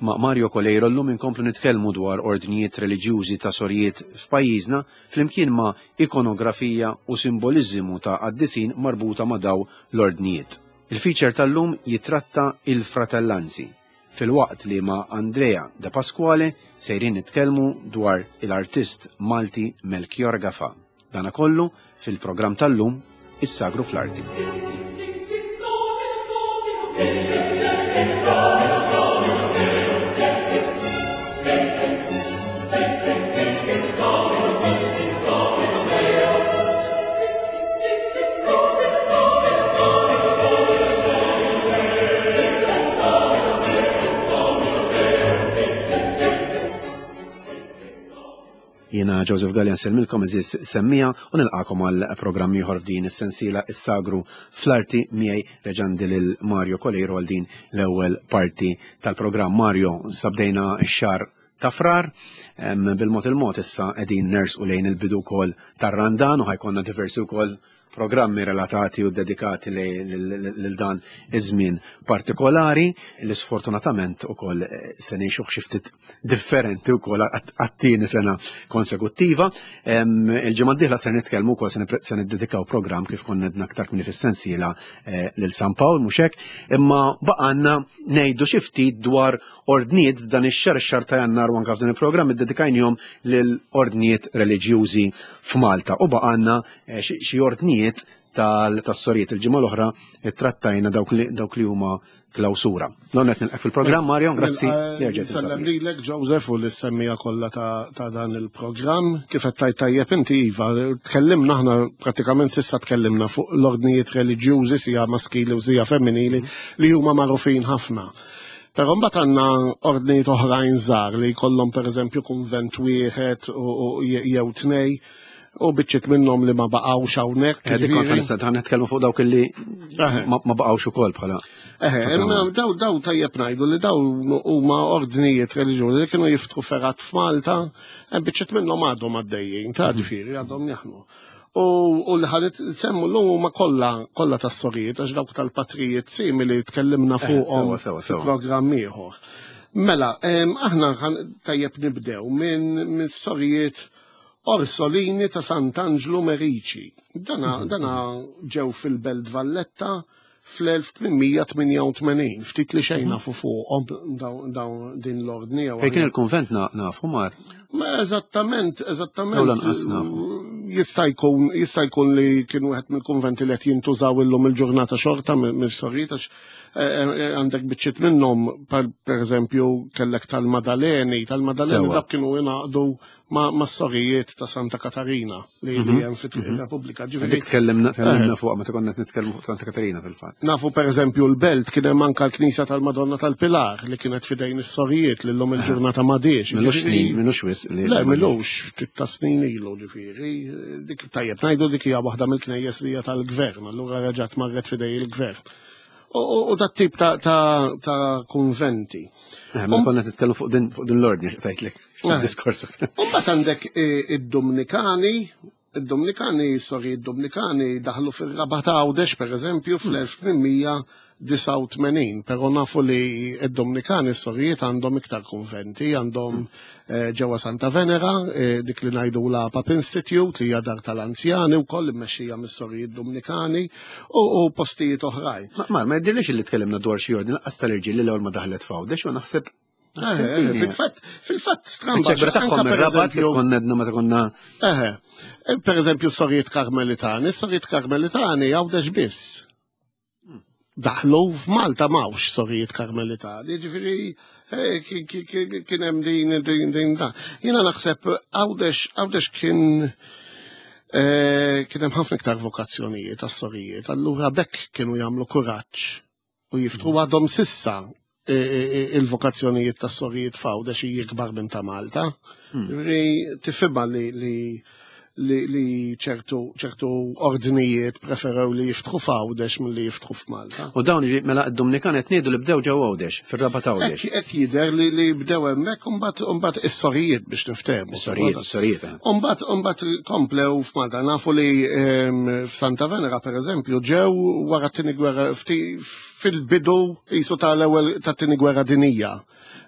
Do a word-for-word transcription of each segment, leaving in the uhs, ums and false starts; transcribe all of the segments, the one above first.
Ma' Mario Coleiro llum inkomplu nitkellmu dwar ordnijiet reliġjużi ta' sorijiet f'pajjiżna flimkien ma' ikonografija u simboliżmu ta' qaddisin marbuta ma' daw l-ordnijiet. Il-feature tal-lum jitratta il-fratellanzi, filwaqt li ma' Andrea De Pasquale sejrin nitkellmu dwar il-artist Malti Melchior Gafa. Dana kollu fil-programm tal-lum Is-Sagru fl-Arti. Jiena Joseph Gallia nsellmilkom eżis semmija u nilqakom għal programm ieħor f'din is-sensiela Is-Sagru fl-Arti miegħi reġandi lil Mario Coleiro għal din l-ewwel parti tal-programm. Mario, sabdejna x-xahar ta' Frar, bil-mod il-mod issa qegħdin nersqu lejn il-bidu wkoll tar-Randan u ħajkonna diversi wkoll programmi relatati u dedikati lil dan iż-żmien partikolari li sfortunatament ukoll se ngħixu xi ftit differenti wkoll għat-tieni sena konsekuttiva. Il-ġimgħa d-dieħla se nitkellmu wkoll se niddedikaw programm kif konna għedna aktar kmieni fis-sensiela lil San Pawl mhux hekk, imma baqgħanna ngħidu xi ftit dwar ordnijiet dan ix-xahar, ix-xahar ta' Jannar u anke f'dan il-programm iddedikajnihom lil ordnijiet reliġjużi f'Malta u baqgħanna xi ordnijiet tal-sorijiet. Il-ġimgħa l-oħra trattajna dawk li huma klawsura. L-għonet nilqek fil-programm, Mario, grazzi. Sellem lilek, Joseph, u l-semmija kollha ta' dan il-programm. Kif qed tajt tajjeb inti, iva, tkellimna aħna pratikament sissa tkellimna fuq l-ordnijiet reliġjużi sija maskili u sija femminili li huma magħrufin ħafna. Però mbagħad għandna ordnijiet oħrajn żgħar li jkollhom pereżempju kunvent wieħed jew tnej u biċċiet minnhom li ma baqgħux hawnhekk. Dik kont ħa nitkellmu fuq dawk li ma baqgħux ukoll bħala. Eħe, daw daw tajjeb ngħidu li daw huma ordnijiet reliġjużi li kienu jiftħu fergħat f'Malta, hemm biċċiet minnhom għadhom għaddejjin, ta' ġifieri għadhom jaħdmu. U li ħanet semmu l-lum huma kollha kollha tas-sorijiet għax dawk tal-patrijiet simili tkellimna fuqhom fil-programm ieħor. Mela, aħna tajjeb nibdew minn sorijiet Orsolini ta' Sant'Angelo Merici. Dana, dana ġew fil-Belt Valletta fl-elf tmien tmien u tmenin, ftit li xejn nafu fuqhom dawn din l-ordni. Fejn kien il-kunvent nafu mar? Ma eżattament, eżattament. Jew lanqas nafu. Jista' jkun, jista' jkun li kien wieħed mill-kunventi li qed jintużaw illum il-ġurnata xorta mis-sorijiet għax għandek biċċiet minnhom, pereżempju kellek tal-Madaleni, tal-Madaleni dak kienu jingħaqdu ma' sorijiet ta' Santa Katarina li hemm fit-Repubblika. Dik tkellimna tkellimna fuq meta konna qed nitkellmu fuq Santa Katarina fil-fatt. Nafu pereżempju l-Belt kien hemm anke l-Knisja tal-Madonna tal-Pilar li kienet fidejn is-sorijiet li llum il-ġurnata m'għadhiex. Milux snin, milux wisq li. Le, milux, ftit ta' snin ilu ġifieri. Dik tajjeb ngħidu dik hija waħda mill-knejjes li hija tal-gvern, allura reġgħet marret fidej il-gvern. U dat tip ta' kunventi. Ma konna titkellmu fuq din l-ordni fejtlek fid-diskors. U mbagħad għandek id-Dominikani, id-Dominikani, sorry, id-Dominikani daħlu fir-Rabat Għawdex pereżempju fl-elf tmien mija disgħa u tmenin, però nafu li id-Dominikani s-sorijiet għandhom iktar kunventi, għandhom ġewwa Santa Venera, dik li ngħidu la Pap Institute li hija dar tal-anzjani wkoll immexxija mis-sorijiet Dominikani u postijiet oħrajn. Ma ma jidhirlix li tkellimna dwar xi ordni lanqas tal-irġiel li l-ewwel ma daħlet f'Għawdex u naħseb Fil-fatt, fil-fatt stramba. Iċ-ċekbra tagħhom ir-Rabat kif konna għedna meta konna. Eħe, pereżempju s-sorijiet Karmelitani, s-sorijiet Karmelitani Għawdex biss. Daħlu f'Malta m'hawnx sorijiet Karmelitani, ġifieri kien hemm din din din da. Jiena naħseb Għawdex Għawdex kien kien hemm ħafna iktar vokazzjonijiet għas-sorijiet, allura bekk kienu jagħmlu kuraġġ u jiftħu għadhom sissa il-vokazzjonijiet tas-sorijiet f'Għawdex hi ikbar minn ta' Malta. Ġifieri tifhimha li li li ċertu ċertu ordnijiet preferew li jiftħu f'Għawdex milli jiftħu f'Malta. U dawn mela d-Dominikan qed ngħidu li bdew ġewwa Għawdex, fir-Rabat Għawdex. Hekk jidher li li bdew hemmhekk u mbagħad is-sorijiet biex niftehmu. Is-sorijiet, is-sorijiet. U mbagħad u mbagħad komplew f'Malta. Nafu li f'Santa Venera pereżempju ġew wara t-tieni gwerra ftit fil-bidu jisu tal-ewwel tat-tieni gwerra dinija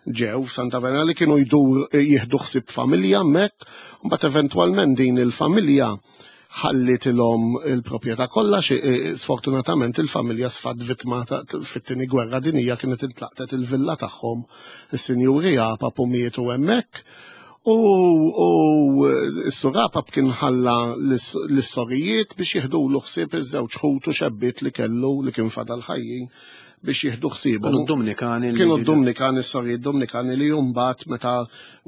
ġew Santa Venera li kienu jdur jieħdu ħsieb familja hemmhekk, mbagħad eventwalment din il-familja ħallitilhom il-proprjetà kollha, xi- sfortunatament il-familja sfat vittma ta' fit-tieni gwerra dinija kienet intlaqtet il-villa tagħhom, is-sinjuri Apap u mietu hemmhekk. U, u s-sur Apap kien ħalla l-sorijiet biex jieħdu l ħsieb iż-żewġ ħutu xebbiet li kellu li kien fadal ħajjin biex jieħdu ħsiebhom. Kienu d-Dominikani li- Kienu d-Dominikani, s-sorijiet Dominikani li mbagħad meta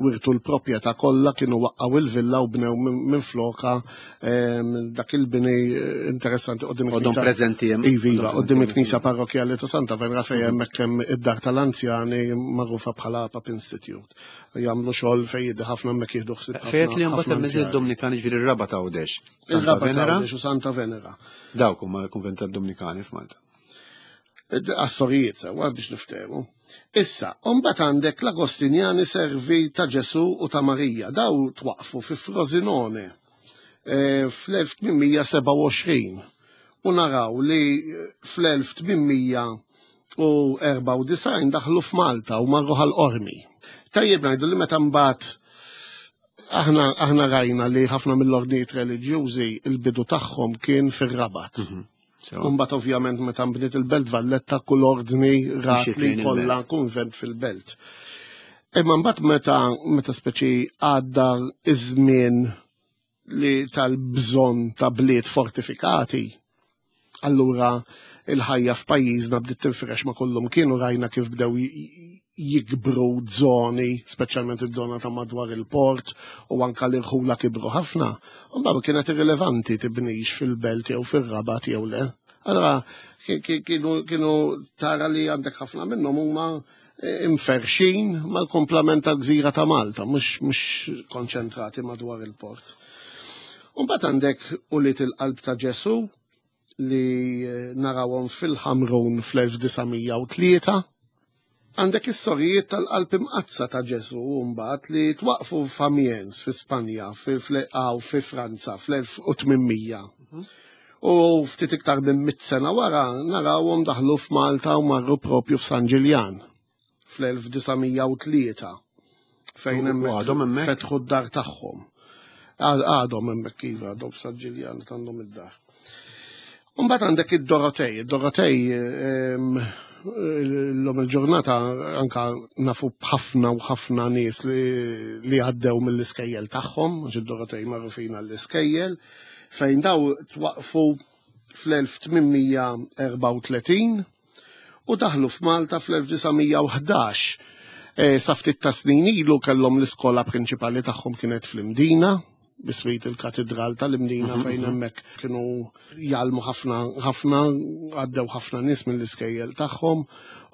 wirtu l-proprjetà kollha kienu waqqaw il-villa u bnew minn minn floka em, dak il-bini eh, interessanti quddiem Għadhom il-knisja. preżenti hemm. Iva, iva, quddiem il-knisja parrokjali ta' Santa Venera fejn hemmhekk hemm id-dar tal-anzjani magħrufa bħala Apap Institute. Jagħmlu xogħol fejn jiddi ħafna hemmhekk jieħdu ħsieb ħafna- Fejt li mbagħad ħafna hemm anzjani. id-Dominikani ġifieri r-Rabat Għawdex. Santa Il-Rabat Venera, Għawdex u Santa Venera. dawk huma l-kunvent tad-Dominikani f'Malta. Għas-sorijiet sewa biex niftehmu. Issa, mbagħad għandek l-Agostinjani servi ta' Ġesu u ta' Marija. Daw twaqfu fi Frosinone eh, fl-elf tmien mija sebgħa u għoxrin u naraw li fl-elf tmien mija u erbgħa u disgħin daħlu f'Malta u marru Ħal Qormi. Tajjeb ngħidu li meta mbagħad aħna aħna rajna li ħafna mill-ordnijiet reliġjużi il-bidu tagħhom kien fir-Rabat. Mbagħad ovvjament meta nbniet il-Belt Valletta kull ordni rat Mxiet li lejn kollha il-belt. kunvent fil-belt. Imma mbagħad meta meta speċi għadda iż-żmien li tal-bżonn ta' bliet fortifikati, allura il-ħajja f'pajjiżna bdiet tinfirex ma' kullum kienu rajna kif bdew j- jikbru zoni, speċjalment iż-żona ta' madwar il-port u anka l-irħula kibru ħafna. U mbagħad kienet irrilevanti tibnix fil-belt jew fir-Rabat jew le. Allora ki- ki- kienu kienu tara li għandek ħafna minnhom huma eh, imferxin mal-komplament tal-gżira ta' Malta, mhux mhux konċentrati madwar il-port. U mbagħad għandek ulied il-qalb ta' Ġesu li eh, narawhom fil-Ħamrun fl-elf disa' mija u tlieta. Għandek is-sorijiet tal-qalb imqazza ta' Ġesu mbagħad li twaqfu f'Amiens fi Spanja, fi fi Franza fl-elf u tmien mija. U ftit iktar minn mit sena wara narawhom daħlu f'Malta u marru propju f'San Ġiljan fl-elf disa' mija u tlieta fejn U għadhom hemmhekk? fetħu d-dar tagħhom. Għad- Għadhom hemmhekk iva, għadhom f'San Ġiljan għandhom id-dar. Mbagħad għandek id-Dorotej, id-Dorotej ehm, l-lum il-ġurnata anka nafu b'ħafna u ħafna nies li, li għaddew mill-iskejjel tagħhom, għax id-Dorotej magħrufin għall-iskejjel, fejn daw twaqfu fl-elf tmien mija erbgħa u tletin u daħlu f'Malta fl-elf disa' mija u ħdax. E, sa ftit ta' snin ilu kellhom l-iskola prinċipali tagħhom kienet fl-Imdina, biswit il-katedral tal-Imdina fejn hemmhekk kienu jgħallmu ħafna ħafna għaddew ħafna nies mill-iskejjel tagħhom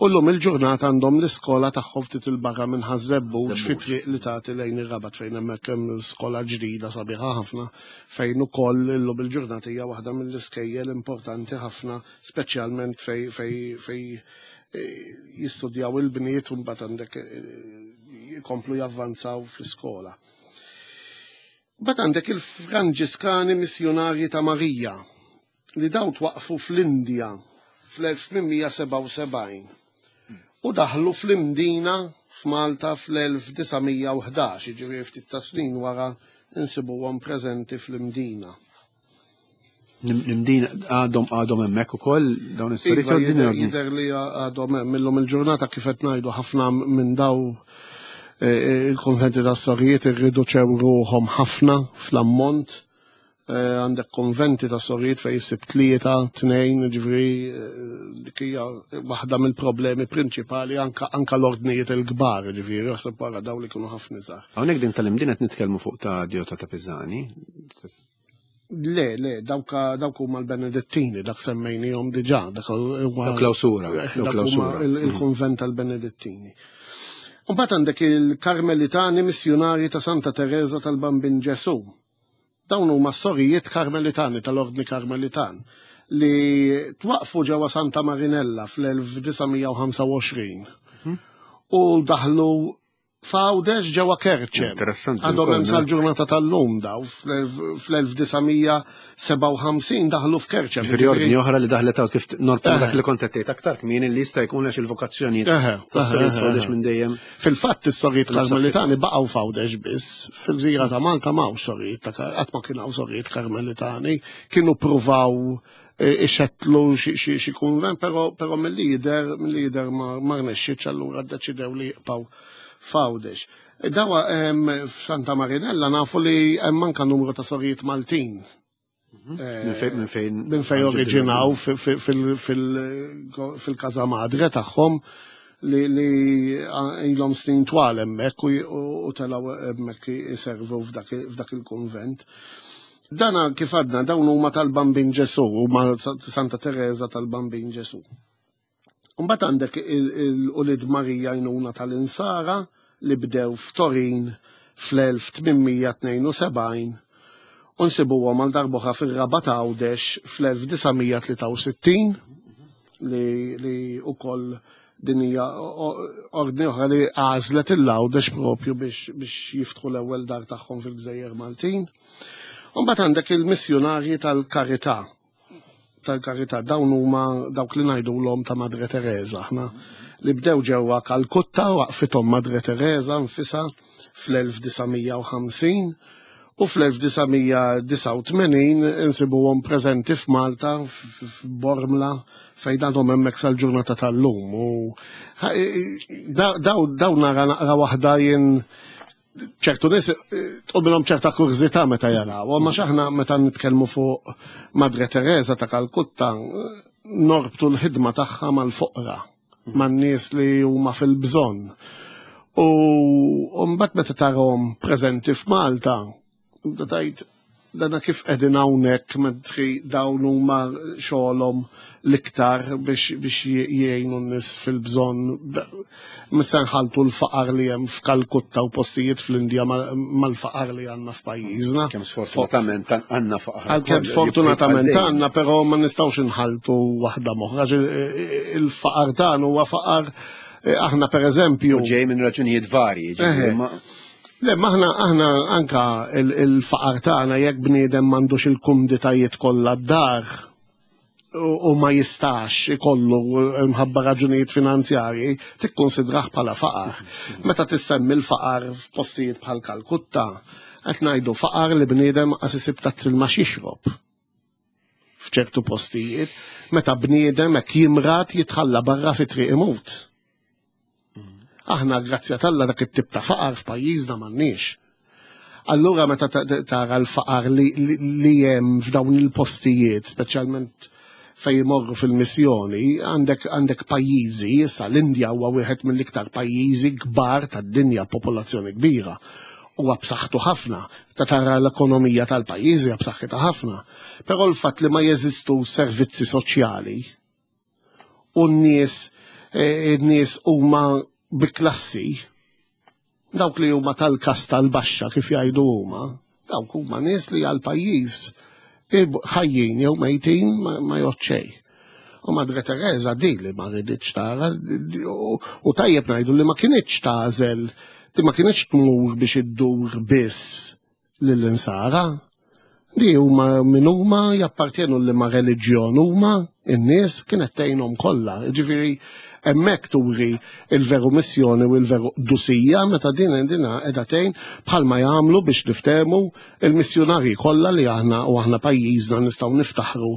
u llum il-ġurnata għandhom l-iskola tagħhom ftit il-barra minn Ħaż-Żebbuġ fi triq li tagħti lejn ir-Rabat fejn hemmhekk hemm skola ġdida sabiħa ħafna fejn ukoll illum il-ġurnata hija waħda mill-iskejjel importanti ħafna speċjalment fej fej fej eh, jistudjaw il-bniet u mbagħad għandek eh, jkomplu javvanzaw fl-iskola. Mbagħad għandek il-Franġiskani Missjonarji ta' Marija li daw twaqfu fl-Indja fl-elf tmien mija sebgħa u sebgħin u daħlu fl-Imdina f'Malta fl-elf disa' mija u ħdax, jiġifieri ftit ta' snin wara insibuhom preżenti fl-Imdina. L-Imdina għadhom għadhom hemmhekk ukoll dawn is-sorijiet Iva, jew din jidher ordni? jidher li għadhom hemm illum il-ġurnata kif qed ngħidu ħafna minn daw eh, il-konventi ta' sorijiet irriduċew ruħhom ħafna fl-ammont. Eh, Għandek konventi ta' sorijiet fejn issib tlieta, tnejn, ġifieri eh, dik hija waħda mill-problemi prinċipali anka anka l-ordnijiet il-kbar, ġifieri, jaħseb wara daw li kienu ħafna żgħar. Hawnhekk din tal-Imdina qed nitkellmu fuq ta' Diota ta' Pizzani. Le, le, dawka dawk huma l-Benedettini, dak semmejnihom diġà, dak huwa Daw klawsura, daw Dak huma klawsura. il- il-konvent tal-Benedettini. U mbagħad għandek il-Karmelitani Missjonarji ta' Santa Teresa tal-Bambin Ġesu. Dawn huma sorijiet Karmelitani tal-Ordni Karmelitan li twaqfu ġewwa Santa Marinella fl-elf disa' mija u ħamsa u għoxrin u daħlu F'Għawdex ġewwa Kerċem. Interessanti. Għadhom hemm sal-ġurnata tal-lum daw fl-elf disa' mija sebgħa u ħamsin daħlu f'Kerċem. Ġifieri ordni oħra li daħlet hawn kif norbtu dak li kont qed tgħid aktar kmieni li jista' jkun għax il-vokazzjonijiet tas-sorijiet f'Għawdex minn dejjem. Fil-fatt is-sorijiet Karmelitani baqgħu f'Għawdex biss, fil-gżira ta' Malta m'hawnx sorijiet ta' qatt ma kien hawn sorijiet Karmelitani, kienu pruvaw ixettlu xi kunvent, però però mill-lider mill-lider ma rnexxietx, allura ddeċidew li jibqgħu f'Għawdex. Dawa f'Santa Marinella nafu li hemm anke numru ta' sorijiet Maltin. Minn fejn, minn fejn Minn fejn oriġinaw fil-Casa Madre tagħhom li li ilhom snin twal hemmhekk u telgħu hemmhekk iservu f'dak il-kunvent. Dana kif għadna dawn huma tal-Bambin Ġesu, huma Santa Teresa tal-Bambin Ġesu. Mbagħad għandek il-Ulid Marija Għajnuna tal-Insara li bdew f'Torin fl-elf tmien mija tnejn u sebgħin u nsibuhom għal darb'oħra fir-Rabat Għawdex fl-elf disa' mija tlieta u sittin li, li ukoll din hija ordni oħra li għażlet il-Għawdex propju biex, biex jiftħu l-ewwel dar tagħhom fil-Gżejjer Maltin. U mbagħad għandek il-missjunarji tal-Karità. Tal-Karità dawn huma dawk li ngħidulhom ta' Madre Teresa aħna li bdew ġewwa Kalkutta waqfithom Madre Teresa nfisha fl-elf disa' mija u ħamsin u fl-elf disa' mija disgħa u tmenin insibuhom preżenti f'Malta f'Bormla fejn għadhom hemmhekk sal-ġurnata tal-lum. U daw, daw nara naqra waħda jien ċertu nies tqumilhom ċerta kurżità meta jaraw, ma x'aħna meta nitkellmu fuq Madre Teresa ta' Kalkutta norbtu l-ħidma tagħha mal-foqra, man-nies li huma fil-bżonn. U mbagħad meta tarahom preżenti f'Malta, tibda tgħid dana kif qegħdin hawnhekk mentri dawn huma xogħolhom l-iktar biex, biex jgħinu n-nies fil-bżonn. Missa nħaltu l-faqar li hemm f'Kalkutta u postijiet fl-Indja mal-faqar li għandna f'pajjiżna. Kemm sfortunatament għandna faqar. Għalkemm sfortunatament għandna, però ma nistgħux inħaltu waħda moħra. Il-faqar tagħna huwa faqar aħna pereżempju. U ġej minn raġunijiet varji, ġifieri ma Le, ma aħna, aħna anka il-faqar tagħna jekk bniedem m'għandux il-kumditajiet kollha d-dar u ma jistax ikollu mħabba raġunijiet finanzjarji, tikkonsidrah bħala faqar. Meta tissemmi l-faqar f'postijiet bħal Kalkutta, qed ngħidu faqar li bniedem qas isib tazz ilma x'jixrob. F'ċertu postijiet, meta bniedem hekk jimrad jitħalla barra fi triq imut. Aħna grazzja t'Alla dak it-tip ta' faqar f'pajjiżna m'għandniex. Allura meta tara l-faqar li, li, li hemm f'dawn il-postijiet, speċjalment fejn imorru fil-missjoni, għandek, għandek pajjiżi, issa l-Indja huwa wieħed mill-iktar pajjiżi kbar tad-dinja, popolazzjoni kbira. Huwa b'saħħtu ħafna, ta' tara l-ekonomija tal-pajjiżi hija b'saħħitha ħafna. Però l-fatt li ma jeżistu servizzi soċjali u n-nies, eh, n-nies huma bi klassi, dawk li huma tal-kasta l-baxxa kif jgħidu huma, dawk huma nies li għall-pajjiż ħajjin jew mejtin ma, ma jgħod xejn. U Madre Teresa di li ma riditx tara, u tajjeb ngħidu li ma kinitx tagħżel, li ma kinitx tmur biex iddur biss lill-insara. Di huma min huma jappartjenu li ma reliġjon huma, in-nies kienet tgħinhom kollha. Ġifieri hemmhekk turi il-veru missjoni u l-veru qdusija meta din dina qiegħda tgħin bħalma jagħmlu biex niftehmu il-missjunarji kollha li aħna u aħna pajjiżna nistgħu niftaħru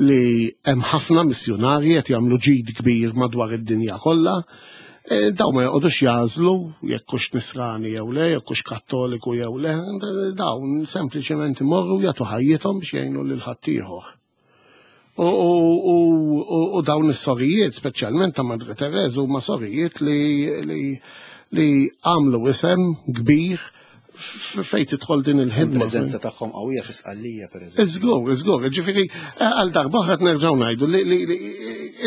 li hemm ħafna missjunarji qed jagħmlu ġid kbir madwar id-dinja kollha. E, daw ma joqogħdux jażlu jekk hux nisrani jew le, jekk hux kattoliku jew le, dawn sempliċement imorru jagħtu ħajjithom biex jgħinu lil ħaddieħor. U, u, u, u, u dawn is-sorijiet, speċjalment ta' Madre Teresa, huma sorijiet li, li, li għamlu isem kbir fejn tidħol din il-ħidma. Il-preżenza tagħhom qawwija fi Sqallija, pereżempju. Iżgur, iżgur, ġifieri, għal darba oħra nerġgħu ngħidu li, li, li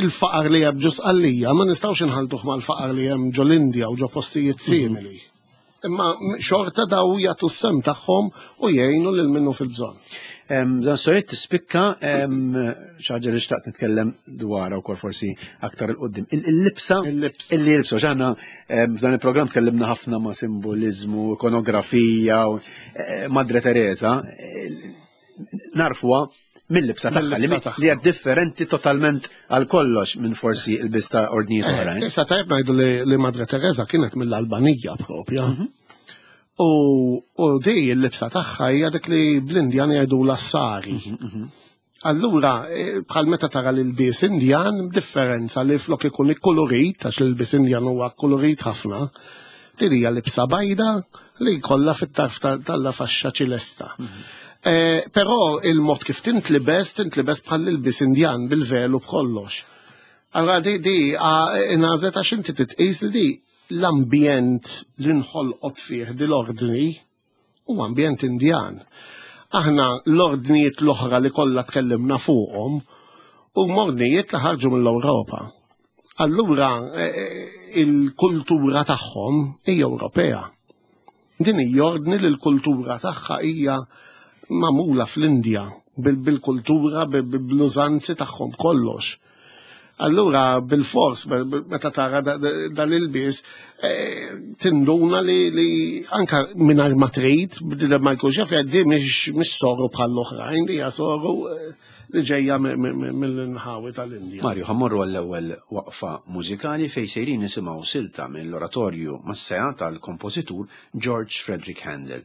il-faqar li hemm ġo Sqallija ma nistgħux inħaltuh mal-faqar li hemm ġo l-Indja u ġo postijiet simili. Imma xorta daw jagħtu s-sem tagħhom u jgħinu lil minnu fil-bżonn. Dan sorijiet tispikka xi ħaġa li xtaqt nitkellem dwarha wkoll forsi aktar 'il quddiem. Il-libsa illi jilbsu għax aħna f'dan il-programm tkellimna ħafna ma' simboliżmu, ikonografija, Madre Teresa, narfuha mill-libsa tagħha li hija differenti totalment għal kollox minn forsi il-lbies ta' ordnijiet oħrajn. Issa tajjeb ngħidu li Madre Teresa kienet mill-Albanija propja. U di l-libsa tagħha hija dik li bl-Indjan jgħidu l-assari. Allura, bħal meta tara l-ilbies Indjan, differenza li flok ikun ikkolorit, għax l-ilbies Indjan huwa kolorit ħafna, din hija libsa bajda li jkollha fit-tarf tal-faxxa ċilesta. Però il-mod kif tintlibes, tintlibes bħal l-ilbies Indjan bil-velu b'kollox. Allora di di ingħażlet għax inti titqis li di l-ambjent li nħolqot fih di l-ordni huwa ambjent Indjan. Aħna l-ordnijiet l-oħra li kollha tkellimna fuqhom huma ordnijiet li ħarġu mill-Ewropa. Allura il-kultura tagħhom hija Ewropea. Din hija ordni li l-kultura tagħha hija magħmula fl-Indja bil-kultura, bl-użanzi tagħhom kollox. Allura bil-fors, meta tara dal-ilbies, tinduna li anka mingħajr ma trid, ma jkunx jaf jgħaddi mhix soru bħall-oħrajn, li hija soru li ġejja mill-inħawi tal-Indja. Mario, ħa mmorru għall-ewwel waqfa mużikali fejn sejrin nisimgħu silta mill-oratorju Massea tal-kompożitur George Frederick Handel.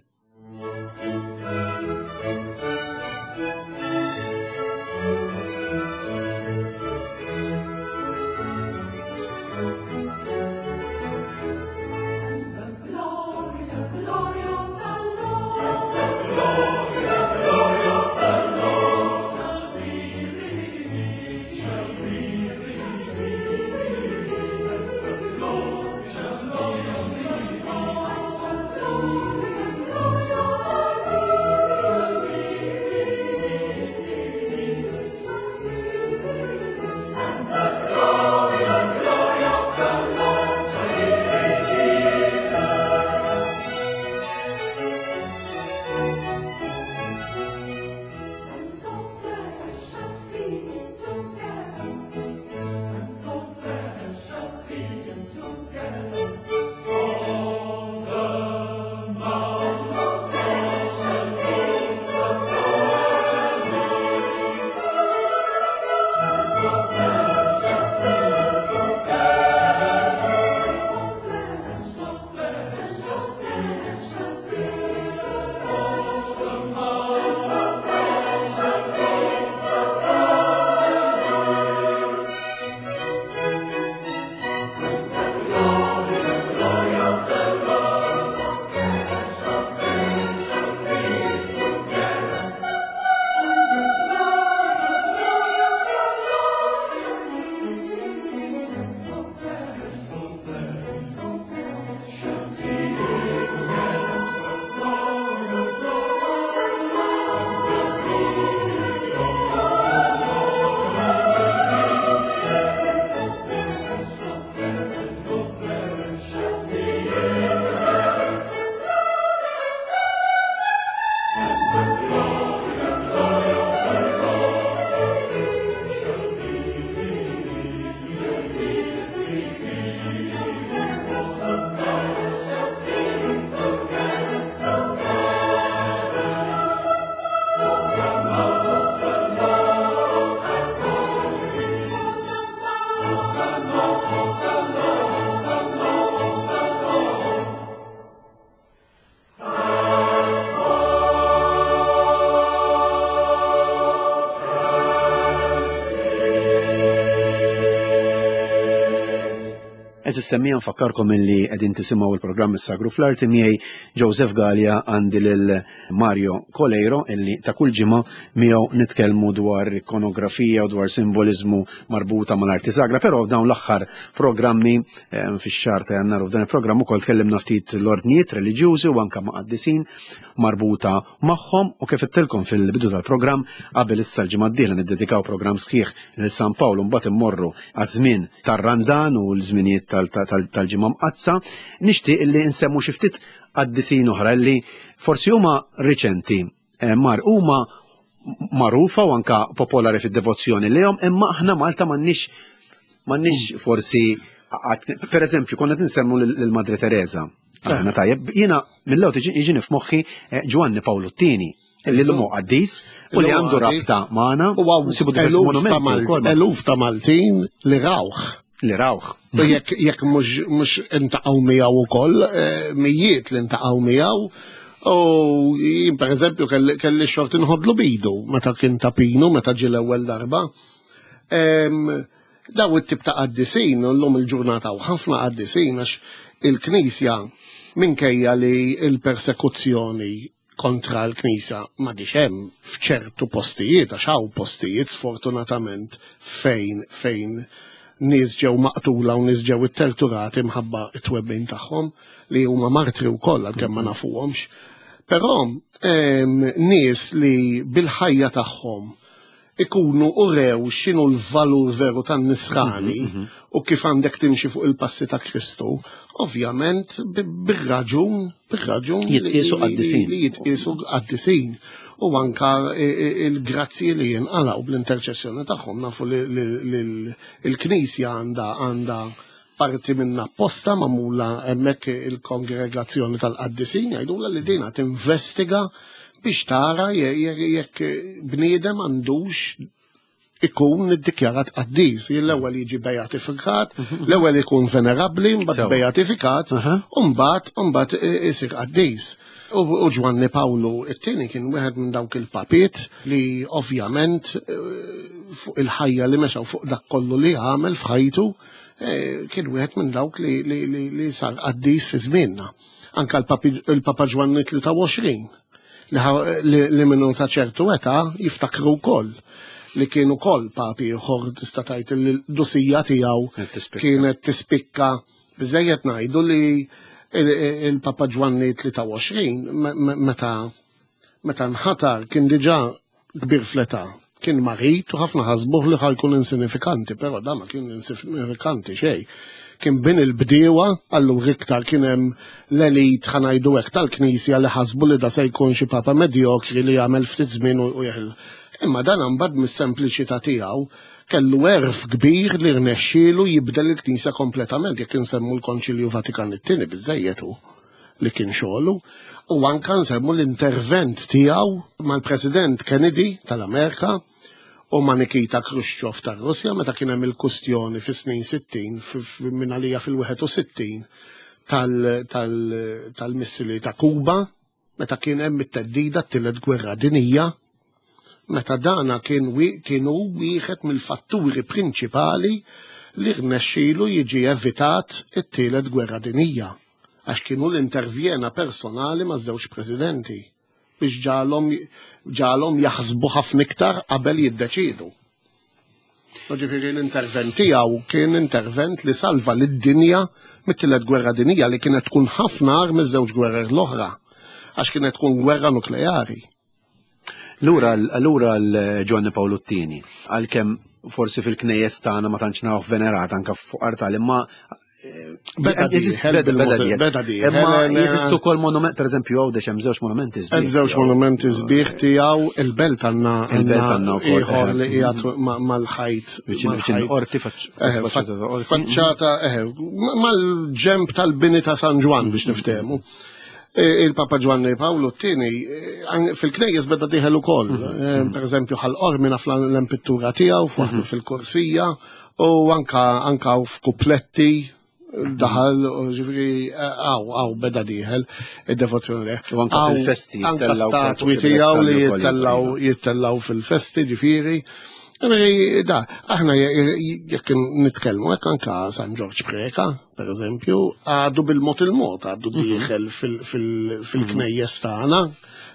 Għeżież semmiegħa, nfakkarkom illi qegħdin tisimgħu il-programm Is-Sagru fl-Arti miegħi Joseph Galea, għandi lil Mario Coleiro illi ta' kull ġimgħa miegħu nitkellmu dwar ikonografija u dwar simbolizmu marbuta mal-arti sagra, però f'dawn l-aħħar programmi fix-xahar ta' Jannar u f'dan il-programm ukoll tkellimna ftit l-ordnijiet reliġjużi u anke ma' qaddisin marbuta magħhom, u kif għedtilkom fil-bidu tal-programm qabel issa l-ġimgħa d-dieħla niddedikaw programm sħiħ lil San Pawl u mbagħad immorru għaż-żmien tar-Randan u l-żminijiet tal-ġimgħa mqaddsa, nixtieq illi nsemmu xi ftit qaddisin oħra li forsi huma riċenti, mar huma magħrufa u anka popolari fid-devozzjoni lejhom, imma aħna Malta m'għandniex m'għandniex forsi, per eżempju, konna tinsemmu lil Madre Teresa. Aħna tajjeb, jiena mill-ewwel jiġini f'moħħi Ġwanni Pawlu t-tieni, li l-mu qaddis u li għandu rabta magħna u nsibu diversi monumenti. Eluf ta' Maltin li rawh. Li rawh. U jekk jekk mhux intaqgħu miegħu ukoll, mijiet li ntaqgħu miegħu. U jien per eżempju kelli xorti nħodlu bidu meta kien tapinu, meta ġie l-ewwel darba. Daw it-tip ta' qaddisin, llum il-ġurnata u ħafna qaddisin, għax il-Knisja minkejja li il-persekuzzjoni kontra l-Knisja ma hemm f'ċertu postijiet, għax hawn postijiet sfortunatament fejn fejn nies ġew maqtula u nies ġew itterturati mħabba it-twebbin tagħhom li huma martri wkoll għalkemm ma nafuhomx. Però nies li bil-ħajja tagħhom ikunu urew x'inhu l-valur veru tan-nisrani u kif għandek timxi fuq il-passi ta' Kristu, ovvjament bir-raġun, bir-raġun jitqiesu qaddisin. Li jitqiesu qaddisin. U anka il-grazzji li jinqalgħu bl-interċessjoni tagħhom, nafu li l-Knisja għandha għandha parti minna apposta magħmula hemmhekk il-kongregazzjoni tal-qaddisin jgħidulha li dina tinvestiga biex tara jekk bniedem għandux ikun iddikjarat qaddis. L-ewwel jiġi beatifikat, l-ewwel ikun venerabbli, mbagħad beatifikat, u mbagħad mbagħad isir qaddis. U Ġwanni Pawlu t-tieni kien wieħed minn dawk il-papiet li ovvjament fuq il-ħajja li mexa fuq dak kollu li għamel f'ħajtu kien wieħed minn dawk li sar qaddis fi żmienna. Anka l-Papa Ġwanni tlieta u għoxrin li minnu ta' ċertu età jiftakru wkoll li kienu kol papi ieħor tista' tgħid li l-dusija tiegħu kienet tispikka. Biżejjed ngħidu li il-Papa Ġwanni tlieta u għoxrin meta meta nħatar kien diġà kbir fl-età, kien marit u ħafna ħasbuh li ħajkun insinifikanti, però da ma kien insinifikanti xejn. Kien bin il-bdiewa, allura iktar kien hemm l-elit ħanajdu hekk tal-Knisja li ħasbu li da se jkun xi papa medjokri li jagħmel ftit żmien u jeħel. Imma dan mbagħad mis-sempliċità tiegħu kellu erf kbir li rnexxielu jibdel il-Knisja kompletament, jekk insemmu l-Konċilju Vatikan it-tieni biżejjed hu li kien xogħlu, u anke nsemmu l-intervent tiegħu mal-President Kennedy tal-Amerika u ma' Nikita Khrushchev tar-Russja meta kien hemm il-kustjoni fis-snin sittin, minn għalija fil-wieħed u sittin tal-missili ta' Kuba, meta kien hemm it-teddida t-tielet gwerra dinija, meta dana kien kienu wieħed mill-fatturi prinċipali li rnexxielu jiġi evitat it-tielet gwerra dinija, għax kienu l-intervjena personali ma' żewġ presidenti biex ġalhom ġalhom jaħsbu ħafna iktar qabel jiddeċidu. Ġifieri l-intervent tiegħu kien intervent li salva lid-dinja mit-tielet gwerra dinija li kienet tkun ħafna agħar miż-żewġ gwerer l-oħra, għax kienet tkun gwerra nukleari. Lura lura l-Ġwanni Pawlu t-tieni, għalkemm forsi fil-knejjes tagħna ma tantx nawh venerat anke fuq artal, imma Beda dieħel, beda dieħel. Imma jeżistu wkoll monument, pereżempju Għawdex hemm żewġ monumenti sbieħ. Hemm żewġ monumenti sbieħ tiegħu, il-belt għandna il-belt għandna wkoll ieħor li qiegħed mal-ħajt. Viċin qorti, faċċata qorti. Faċċata, eħe, mal-ġemp tal-bini ta' San Ġwann biex niftehmu. Il-Papa Ġwanni Pawlu t-tieni fil-knejjes beda dieħel ukoll. Pereżempju ħal Qormi naf l-empittura tiegħu f'waħdu fil-korsija u anka anka f'kupletti daħal, ġifieri għaw, għaw beda dieħel id-devozzjoni leh. U anka fil-festi Anka statwi tiegħu li jittellaw jittellaw fil-festi, ġifieri. Ġifieri da, aħna jekk nitkellmu hekk anka San Ġorġ Preca, per eżempju, għadu bil-mod il-mod, għadu dieħel fil-knejjes tagħna.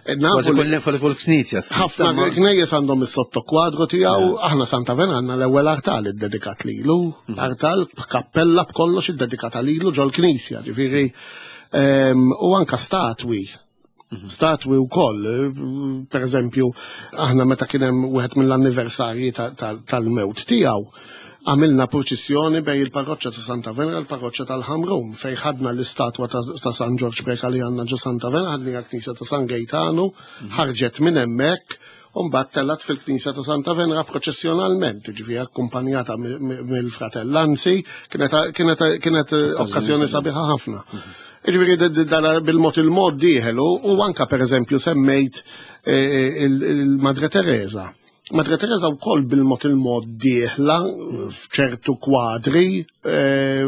Kważi kull fuq knisja. Ħafna knejjes għandhom is-sottokwadru tiegħu, aħna Santa Venera għandna l-ewwel artal iddedikat lilu, artal b'kappella b'kollox iddedikata lilu ġol-knisja, ġifieri u anka statwi. Statwi wkoll, per eżempju, aħna meta kien hemm wieħed mill-anniversarji tal-mewt tiegħu, għamilna purċissjoni bejn il-parroċċa ta' Santa Venera u l-parroċċa tal-Ħamrun, fejn ħadna l-istatwa ta' San Ġorġ Preca li għandna ġo Santa Venera, ħadniha l-knisja ta' San Gaetano, ħarġet minn hemmhekk U mbagħad tellat fil-Knisja ta' Santa Venera proċessjonalment, ġifieri akkumpanjata mill-fratellanzi, kienet kienet okkażjoni sabiħa ħafna. Ġifieri bil-mod il-mod dieħel u anka pereżempju semmejt il-Madre Teresa. Madre Teresa wkoll bil-mod il-mod dieħla f'ċertu kwadri,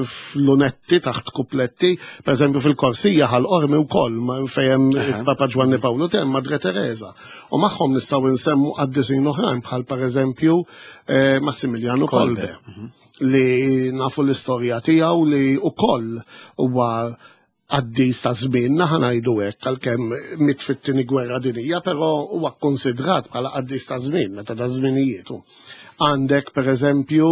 f'lunetti taħt kupletti, per eżempju fil-Korsija Ħal Qormi wkoll fejn Papa Ġwanni Pawlu hemm Madre Teresa. U magħhom nistgħu nsemmu qaddisin oħrajn bħal pereżempju Massimiliano Kolbe, li nafu l-istorja tiegħu li wkoll huwa qaddis ta' żmienna, ħa ngħidu hekk, għalkemm miet fit-tieni gwerra dinija, però huwa kkonsidrat bħala qaddis ta' żmien, meta ta' żminijietu. Għandek pereżempju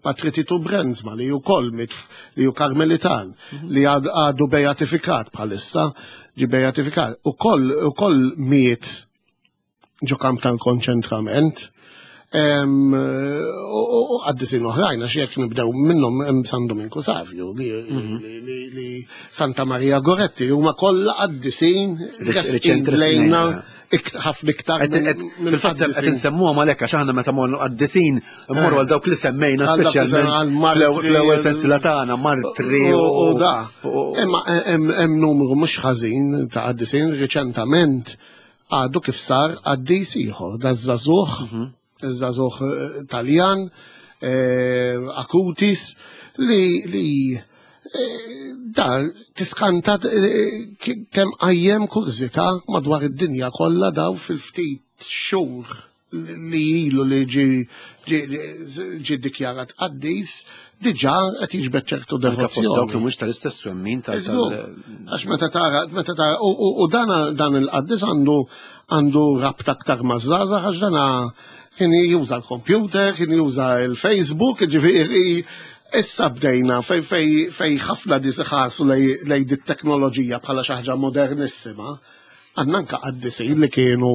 Patri Titu Brenzma li wkoll miet, li hu Karmelitan, li għadu beatifikat bħalissa, ġi beatifikat, ukoll ukoll miet ġo kamp tal-konċentrament. U qaddisin oħrajn, għax jekk nibdew minnhom hemm San Dominku Savio, li Santa Maria Goretti, huma kollha qaddisin lejna ħafna iktar. Fil-fatt qed insemmuhom għalhekk għax aħna meta morru qaddisin mmorru għal dawk li semmejna speċjalment fl-ewwel sensiela tagħna, martri u da. Imma hemm numru mhux ħażin ta' qaddisin riċentament għadu kif sar qaddis ieħor, da żagħżugħ żagħżugħ Taljan, Acutis, li li da tiskanta kemm qajjem kurżità madwar id-dinja kollha daw fil-ftit xhur li ilu li ġi ddikjarat qaddis, diġà qed jiġbed ċertu devozzjoni. Dawk li mhux tal-istess twemmin tal. Għax meta tara, meta tara, u dan il-qaddis għandu għandu rabta aktar maż-żgħażagħ għax dana kien juża l-computer, kien juża l-Facebook, ġifieri issa bdejna fej fej fej ħafna nies iħarsu lejn dit-teknoloġija bħala xi ħaġa modernissima, għandna anke qaddisin li kienu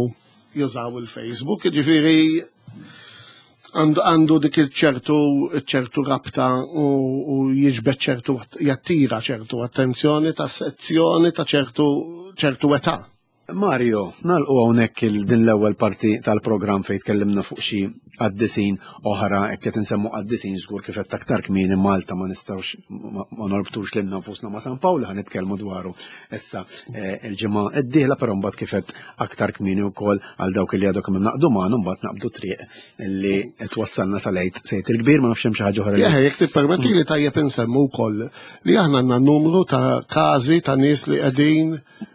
jużaw il-Facebook, ġifieri għandu dik il-ċertu ċertu rabta u jiġbed ċertu, jattira ċertu attenzjoni ta' sezzjoni ta' ċertu ċertu età. Mario, nagħlqu hawnhekk din l-ewwel parti tal-programm fejn tkellimna fuq xi qaddisin oħra, hekk qed insemmu qaddisin żgur kif qed aktar kmieni Malta ma nistgħux ma norbtux lilna nfusna ma' San Pawl, ħa nitkellmu dwaru issa il-ġimgħa d-dieħla, però mbagħad kif qed aktar kmieni wkoll għal dawk li għadhom kemm naqdu magħna mbagħad naqbdu triq li twassalna sal-Għid Sejt il-Kbir, ma nafx hemm xi ħaġa oħra. Jekk tippermetti li tajjeb insemmu wkoll li aħna għandna numru ta' każi ta' nies li qegħdin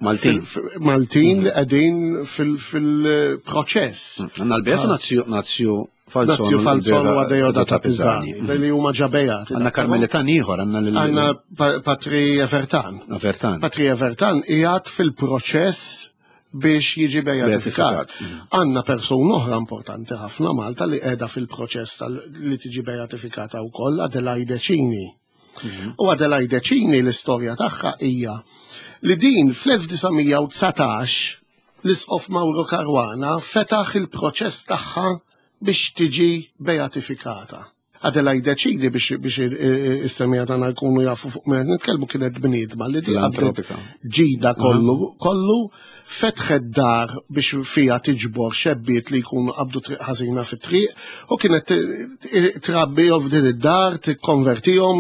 Maltin. Maltin li qegħdin fil-proċess. Għandna l-Beatu Nazzju Falzon. Nazzju Falzon u Adeodata Pisani, li huma ġabejat. Għandna Karmelitan ieħor, għandna lil Għandna Patri Evertan. Evertan. Patri Evertan qiegħed fil-proċess biex jiġi beatifikat. Għandna persuna oħra importanti ħafna Malta li qiegħda fil-proċess li tiġi beatifikata wkoll, Adelaide Cini. U Adelaide Cini l-istorja tagħha hija li din fl-elf disa' mija u dsatax l-Isqof Mauro Caruana fetaħ il-proċess tagħha biex tiġi beatifikata. Adelaide Cini biex biex is-semija tagħna jkunu jafu fuq meta nitkellmu kienet bniedma li di qabdet ġida kollu kollu fetħet dar biex fiha tiġbor xebbiet li jkunu qabdu triq ħażina fit-triq u kienet trabbi f'din id-dar tikkonvertihom,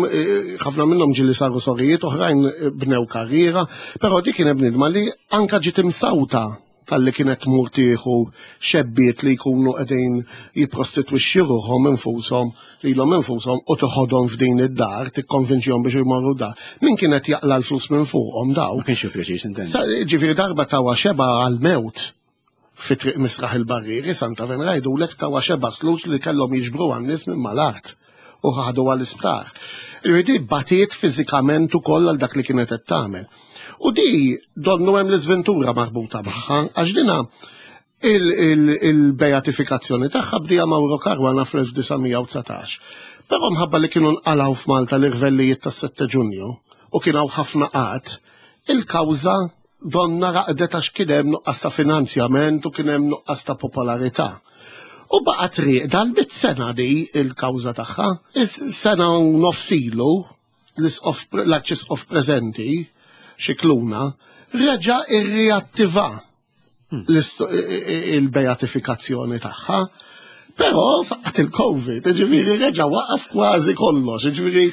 ħafna minnhom ġieli saru sorijiet, oħrajn bnew karriera, però di kienet bniedma li anka ġiet imsawta tal-li kienet tmur tieħu xebbiet li jkunu qegħdin jipprostitwixxu ruħhom infushom lilhom infushom u toħodhom f'din id-dar, tikkonvinċihom biex jmorru dar. Min kienet jaqla l-flus minn fuqhom daw? Ma kienx pjaċir sintendi. Ġifieri darba tawa xeba għall-mewt fi triq Misraħ il-Barrieri, Santa Venera, jgħidulek tawa xeba slus li kellhom jiġbru għan-nies minn mal-art u ħadu għall-isptar. Ġifieri batiet fiżikament ukoll għal dak li kienet qed tagħmel. U di donnu hemm l-iżventura marbuta magħha, għax dina il-beatifikazzjoni tagħha bdija Mauro Caruana fl-elf disa' mija u dsatax. Però mħabba li kienu nqalgħu f'Malta l-irvellijiet tas-sette Ġunju u kien hawn ħafna qatt, il-kawża donna raqdet għax kien hemm nuqqas ta' finanzjament u kien hemm nuqqas ta' popolarità. U baqgħet rieqda l-bit sena di il-kawża tagħha. Is-sena u nofsilu l-Arċisqof preżenti, Scicluna, reġa' irriattiva il-beatifikazzjoni tagħha. Però faqat il-Covid, ġifieri reġa' waqaf kważi kollox, ġifieri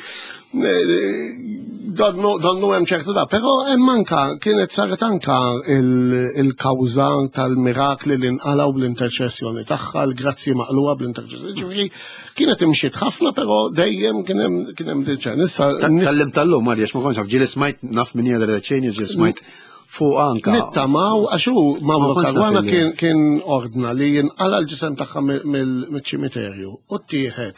donnu hemm ċertu da, però hemm anka kienet saret anka il-kawża tal-mirakli li nqalgħu bl-interċessjoni tagħha, l-grazzji maqluha bl-interċessjoni, ġifieri kienet imxiet ħafna, però dejjem kien hemm kien hemm diċen. Issa tgħallimt tal-lum għaliex ma kontx naf, ġieli smajt naf min hija Ċeni, ġieli smajt fuq anka. Nittamaw, għax hu Mauro Caruana kien kien ordna li jinqala l-ġisem tagħha mill-ċimiterju u ttieħed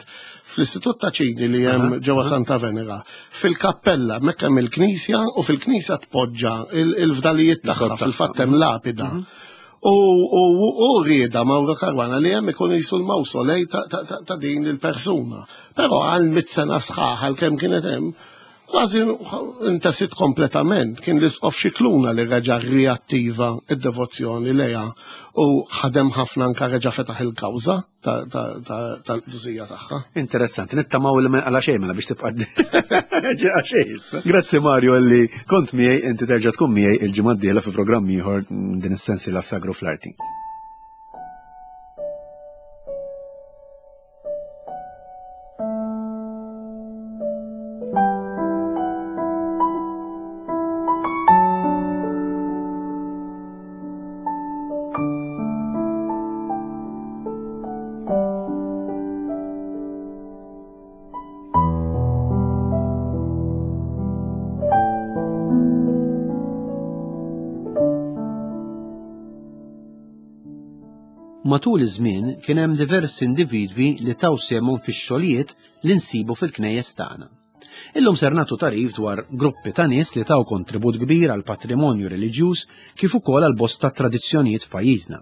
fl-Istitut ta' Ċini li hemm ġewwa Santa Venera, fil-kappella hemmhekk hemm il-knisja u fil-knisja tpoġġa il-fdalijiet tagħha, fil-fatt hemm lapida. U rieda Mauro Caruana li hemm ikun jisu l-mawsolej ta' din il-persuna. Però għal mitt sena sħaħ għal kemm kienet hemm, kważi intasit kompletament, kien l-Isqof Scicluna li reġa' riattiva id-devozzjoni lejha u ħadem ħafna anka reġa' fetaħ il-kawża tal-qdusija tagħha. Interessanti, nittamaw li ma għala xejn mela biex tibqa' ġeqa xejn issa. Grazzi Mario li kont miegħi, inti terġa' tkun miegħi il-ġimgħa d-dieħla fi programm ieħor din is-sensiela Sagru fl-Arti. Matul iż-żmien kien hemm diversi individwi li taw sehemhom fix-xogħlijiet li nsibu fil-knejjes tagħna. Illum ser nagħtu tagħrif dwar gruppi ta' nies li taw kontribut kbir għal patrimonju reliġjuż kif ukoll għal bosta tradizzjonijiet f'pajjiżna.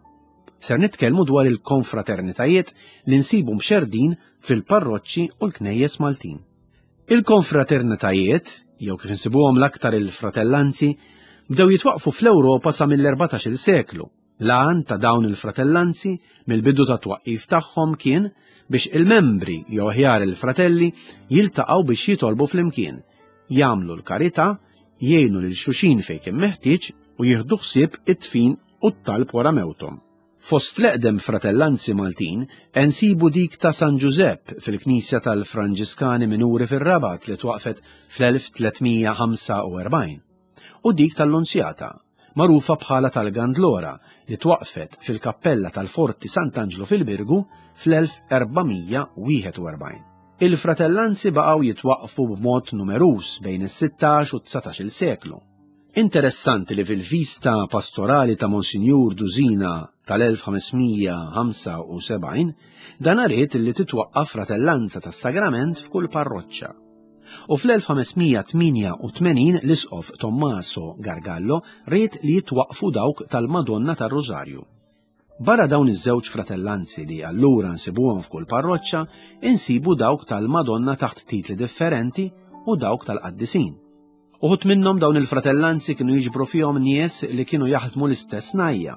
Ser nitkellmu dwar il-konfraternitajiet li nsibu mxerdin fil-parroċċi u l-knejjes Maltin. Il-konfraternitajiet, jew kif insibuhom l-aktar il-fratellanzi, bdew jitwaqfu fl-Ewropa sa mill-erbatax-il seklu. L-għan ta' dawn il-fratellanzi mill-bidu ta' twaqqif tagħhom kien biex il-membri jew aħjar il-fratelli jiltaqgħu biex jitolbu flimkien, jagħmlu l-karità, jgħinu lil xulxin fejn kien meħtieġ u jieħdu ħsieb it-tfin u t-talb wara mewthom. Fost l-eqdem fratellanzi Maltin nsibu dik ta' San Ġużepp fil-Knisja tal-Franġiskani Minuri fir-Rabat li twaqfet fl-elf tliet mija ħamsa u erbgħin u dik tal-Lunzjata, magħrufa bħala tal-Gandlora, li twaqfet fil-Kappella tal-Forti Sant'Anġlu fil-Birgu fl-elf erba' mija wieħed u erbgħin. Il-fratellanzi baqgħu jitwaqfu b'mod numeruż bejn is-sittax u t-dsatax-il seklu. Interessanti li fil-vista pastorali ta' Monsinjur Dusina tal-elf ħames mija ħamsa u sebgħin dan ried li titwaqqaf fratellanza tas-sagrament f'kull parroċċa. U fl-elf ħames mija tmienja u tmenin l-Isqof Tommaso Gargallo ried li jitwaqfu dawk tal-Madonna tar-Rożarju. Barra dawn iż-żewġ fratellanzi li allura nsibuhom f'kull parroċċa, insibu dawk tal-Madonna taħt titli differenti u dawk tal-qaddisin. Uħud minnhom dawn il-fratellanzi kienu jiġbru fihom nies li kienu jaħdmu l-istess najja.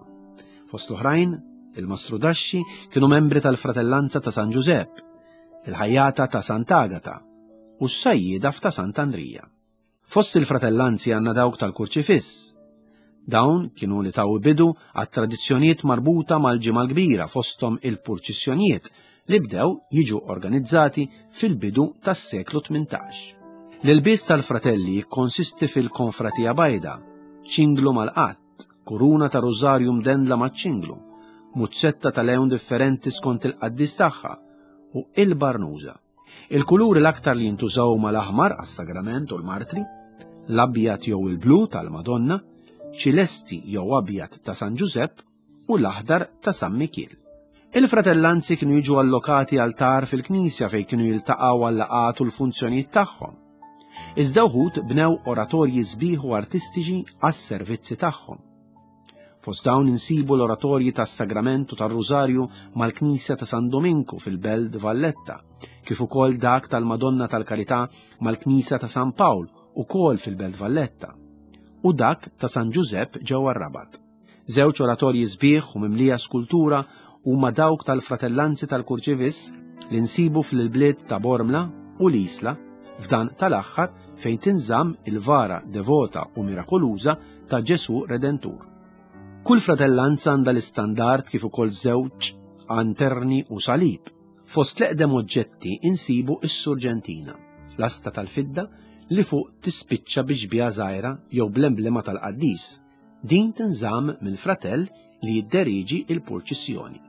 Fost l-oħrajn, il-Mastrudaxxi kienu membri tal-fratellanza ta' San Ġużepp, il-ħajjata ta' Sant'Agata u s-sajjieda ta' Sant'Andrija. Fost il-fratellanzi għandna dawk tal-Kurċifiss. Dawn kienu li taw bidu għat-tradizzjonijiet marbuta mal-Ġimgħa l-Kbira fosthom il-purċissjonijiet li bdew jiġu organizzati fil-bidu tas-seklu tmintax. L-ilbies tal-fratelli jikkonsisti fil-konfratija bajda, ċinglu mal-qatt, kuruna ta' rożarju mdendla maċ-ċinglu, muzzetta ta' lewn differenti skont il-qaddis tagħha u il-barnuża. Il-kuluri l-aktar li jintużaw mal-aħmar għas-sagrament u l-martri, l-abjad jew il-blu tal-Madonna, ċilesti jew abjad ta' San Ġużepp u l-aħdar ta' San Mikiel. Il-fratellanzi kienu jiġu allokati altar fil-knisja fejn kienu jiltaqgħu għal-laqgħat u l-funzjonijiet tagħhom. Iżda wħud bnew oratorji sbieħ u artistiċi għas-servizzi tagħhom. Fost dawn insibu l-oratorji tas-Sagramentu tar-Rużarju mal-Knisja ta' San Dominku fil-Belt Valletta, kif ukoll dak tal-Madonna tal-Karità mal-Knisja ta' San Pawl ukoll fil-Belt Valletta, u dak ta' San Ġużepp ġewwa r-Rabat. Żewġ oratorji sbieħ u mimlija skultura huma dawk tal-Fratellanzi tal-Kurċifiss li nsibu fil-bliet ta' Bormla u l-Isla, f'dan tal-aħħar fejn tinżamm il-vara devota u mirakoluża ta' Ġesu Redentur. Kull fratellanza għandha l-istandard kif ukoll żewġ anterni u salib. Fost l-eqdem oġġetti insibu s-surġentina, l-asta tal-fidda li fuq tispiċċa bi xbieha żgħira jew bl-emblema tal-qaddis. Din tinżamm mill-fratell li jidderiġi il-purċissjoni.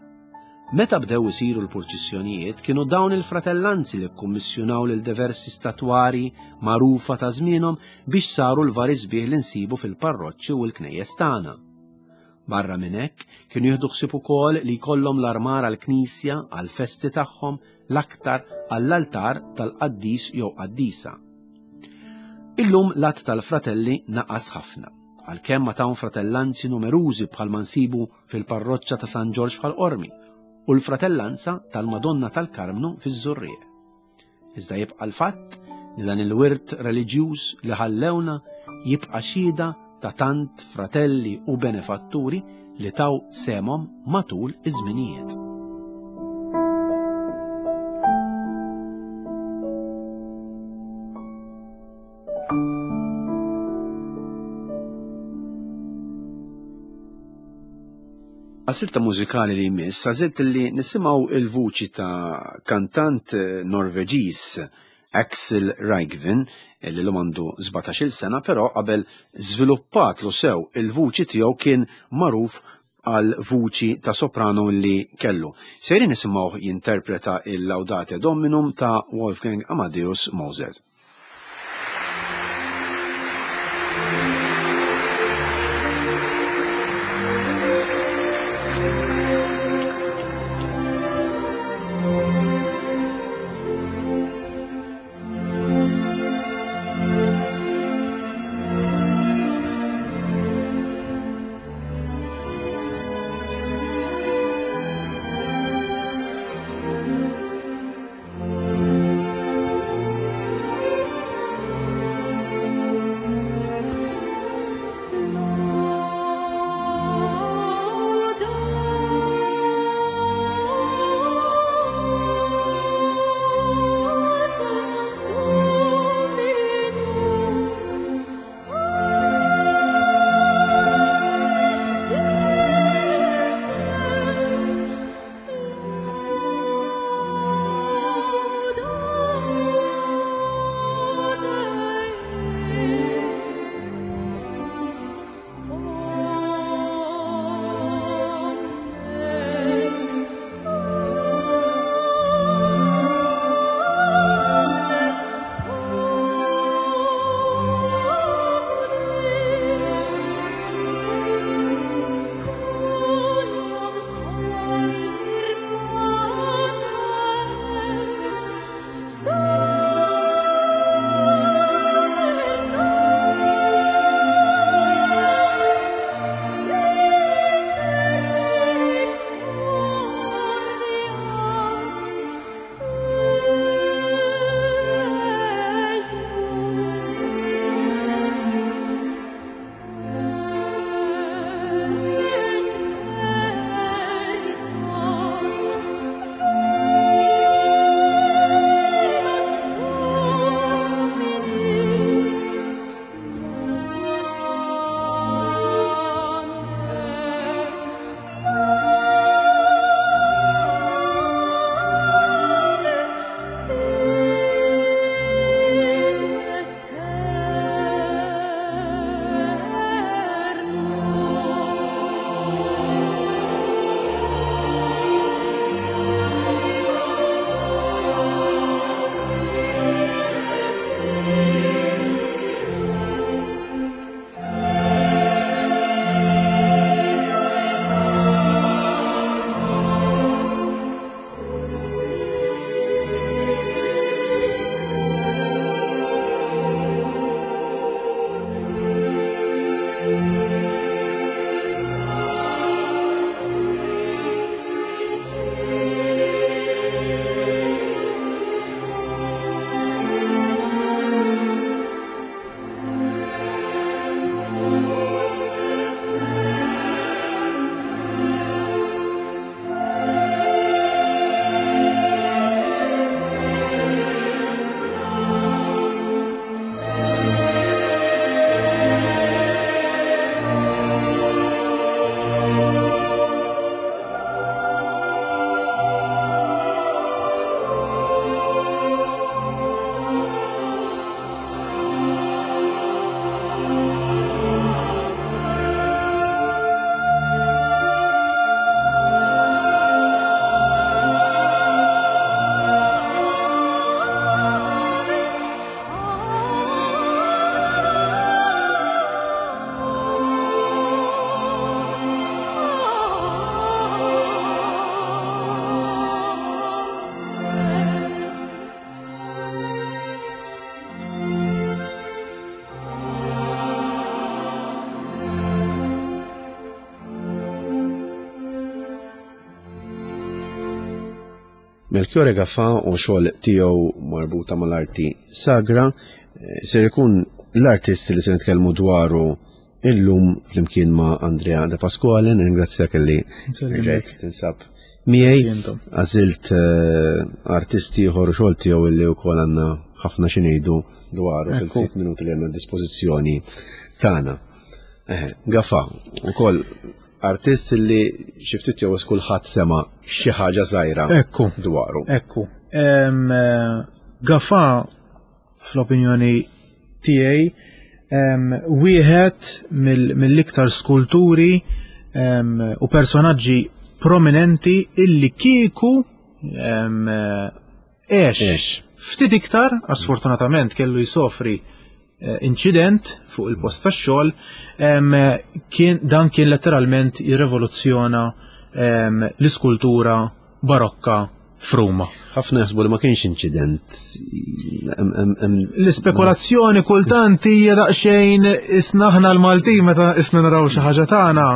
Meta bdew isiru l-purċissjonijiet kienu dawn il-fratellanzi li kkummissjonaw lil diversi statwari magħrufa ta' żmienhom biex saru l-vari sbieħ li nsibu fil-parroċċi u l-knejjes tagħna. Barra minn hekk kienu jieħdu ħsieb ukoll li jkollhom l-armar għall-knisja għall-festi tagħhom l-aktar għall-altar tal-qaddis jew qaddisa. Illum l-att tal-fratelli naqas ħafna, għalkemm ma tawn fratellanzi numerużi bħalma nsibu fil-parroċċa ta' San Ġorġ f'Ħal Qormi u l-fratellanza tal-Madonna tal-Karmnu fiż-Żurrieq. Iżda jibqa' l-fatt li dan il-wirt reliġjuż li ħallewna jibqa' xhieda ta' tant fratelli u benefatturi li taw semhom matul iż-żminijiet. Għasilta mużikali li jmiss, għażilt li nisimgħu il-vuċi ta' kantant Norveġiż Axel Rygvin, li l għandu sbatax-il sena, però qabel żviluppatlu sew il-vuċi tiegħu kien magħruf għal vuċi ta' soprano li kellu. Sejrin nisimgħu jinterpreta il-Laudate Dominum ta' Wolfgang Amadeus Mozart. Melchiorre Gafà u xogħol tiegħu marbuta mal-arti sagra. Eh, ser ikun l-artist li se nitkellmu dwaru illum flimkien ma' Andrea De Pasquale. Nirringrazzjak li rġajt tinsab miegħi. Għażilt eh, artisti ieħor u xogħol tiegħu illi wkoll għandna ħafna xi ngħidu dwaru fil-ftit minuti li għandna dispożizzjoni tagħna. Gafà, ukoll artist li xi ftit jew kulħadd sema' xi ħaġa żgħira Ekku, dwaru. Ekku. Gafà, fl-opinjoni tiegħi, wieħed mill-iktar skulturi u personaġġi prominenti illi kieku għex ftit iktar, għax sfortunatament kellu jsofri eh, incident fuq il-post tax-xogħol, kien dan kien letteralment jirrevoluzzjona l-iskultura barokka f'Ruma. Ħafna jaħsbu li ma kienx incident. L-ispekulazzjoni kultant hija daqsxejn isna aħna l-Maltin meta isna naraw xi ħaġa tagħna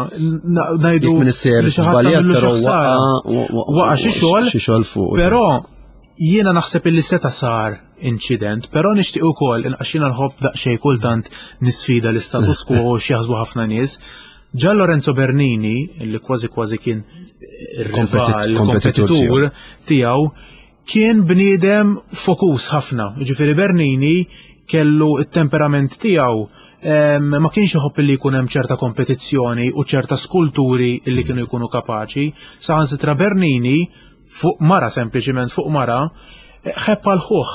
ngħidu li xi waqa' xi xogħol, xi xogħol fuq. Però jiena naħseb illi seta' sar incident, però nixtieq ukoll għax jiena nħobb daqsxejn kultant nisfida l-istatus quo u x'jaħsbu ħafna nies. Gian Lorenzo Bernini, li kważi kważi kien ir-rival, kompetitur tiegħu, kien bniedem fokus ħafna. Ġifieri Bernini kellu it-temperament tiegħu, ma kienx iħobb li jkun hemm ċerta kompetizzjoni u ċerta skulturi li kienu jkunu kapaċi. Saħansitra Bernini fuq mara, sempliċiment fuq mara, ħebb għal ħuh,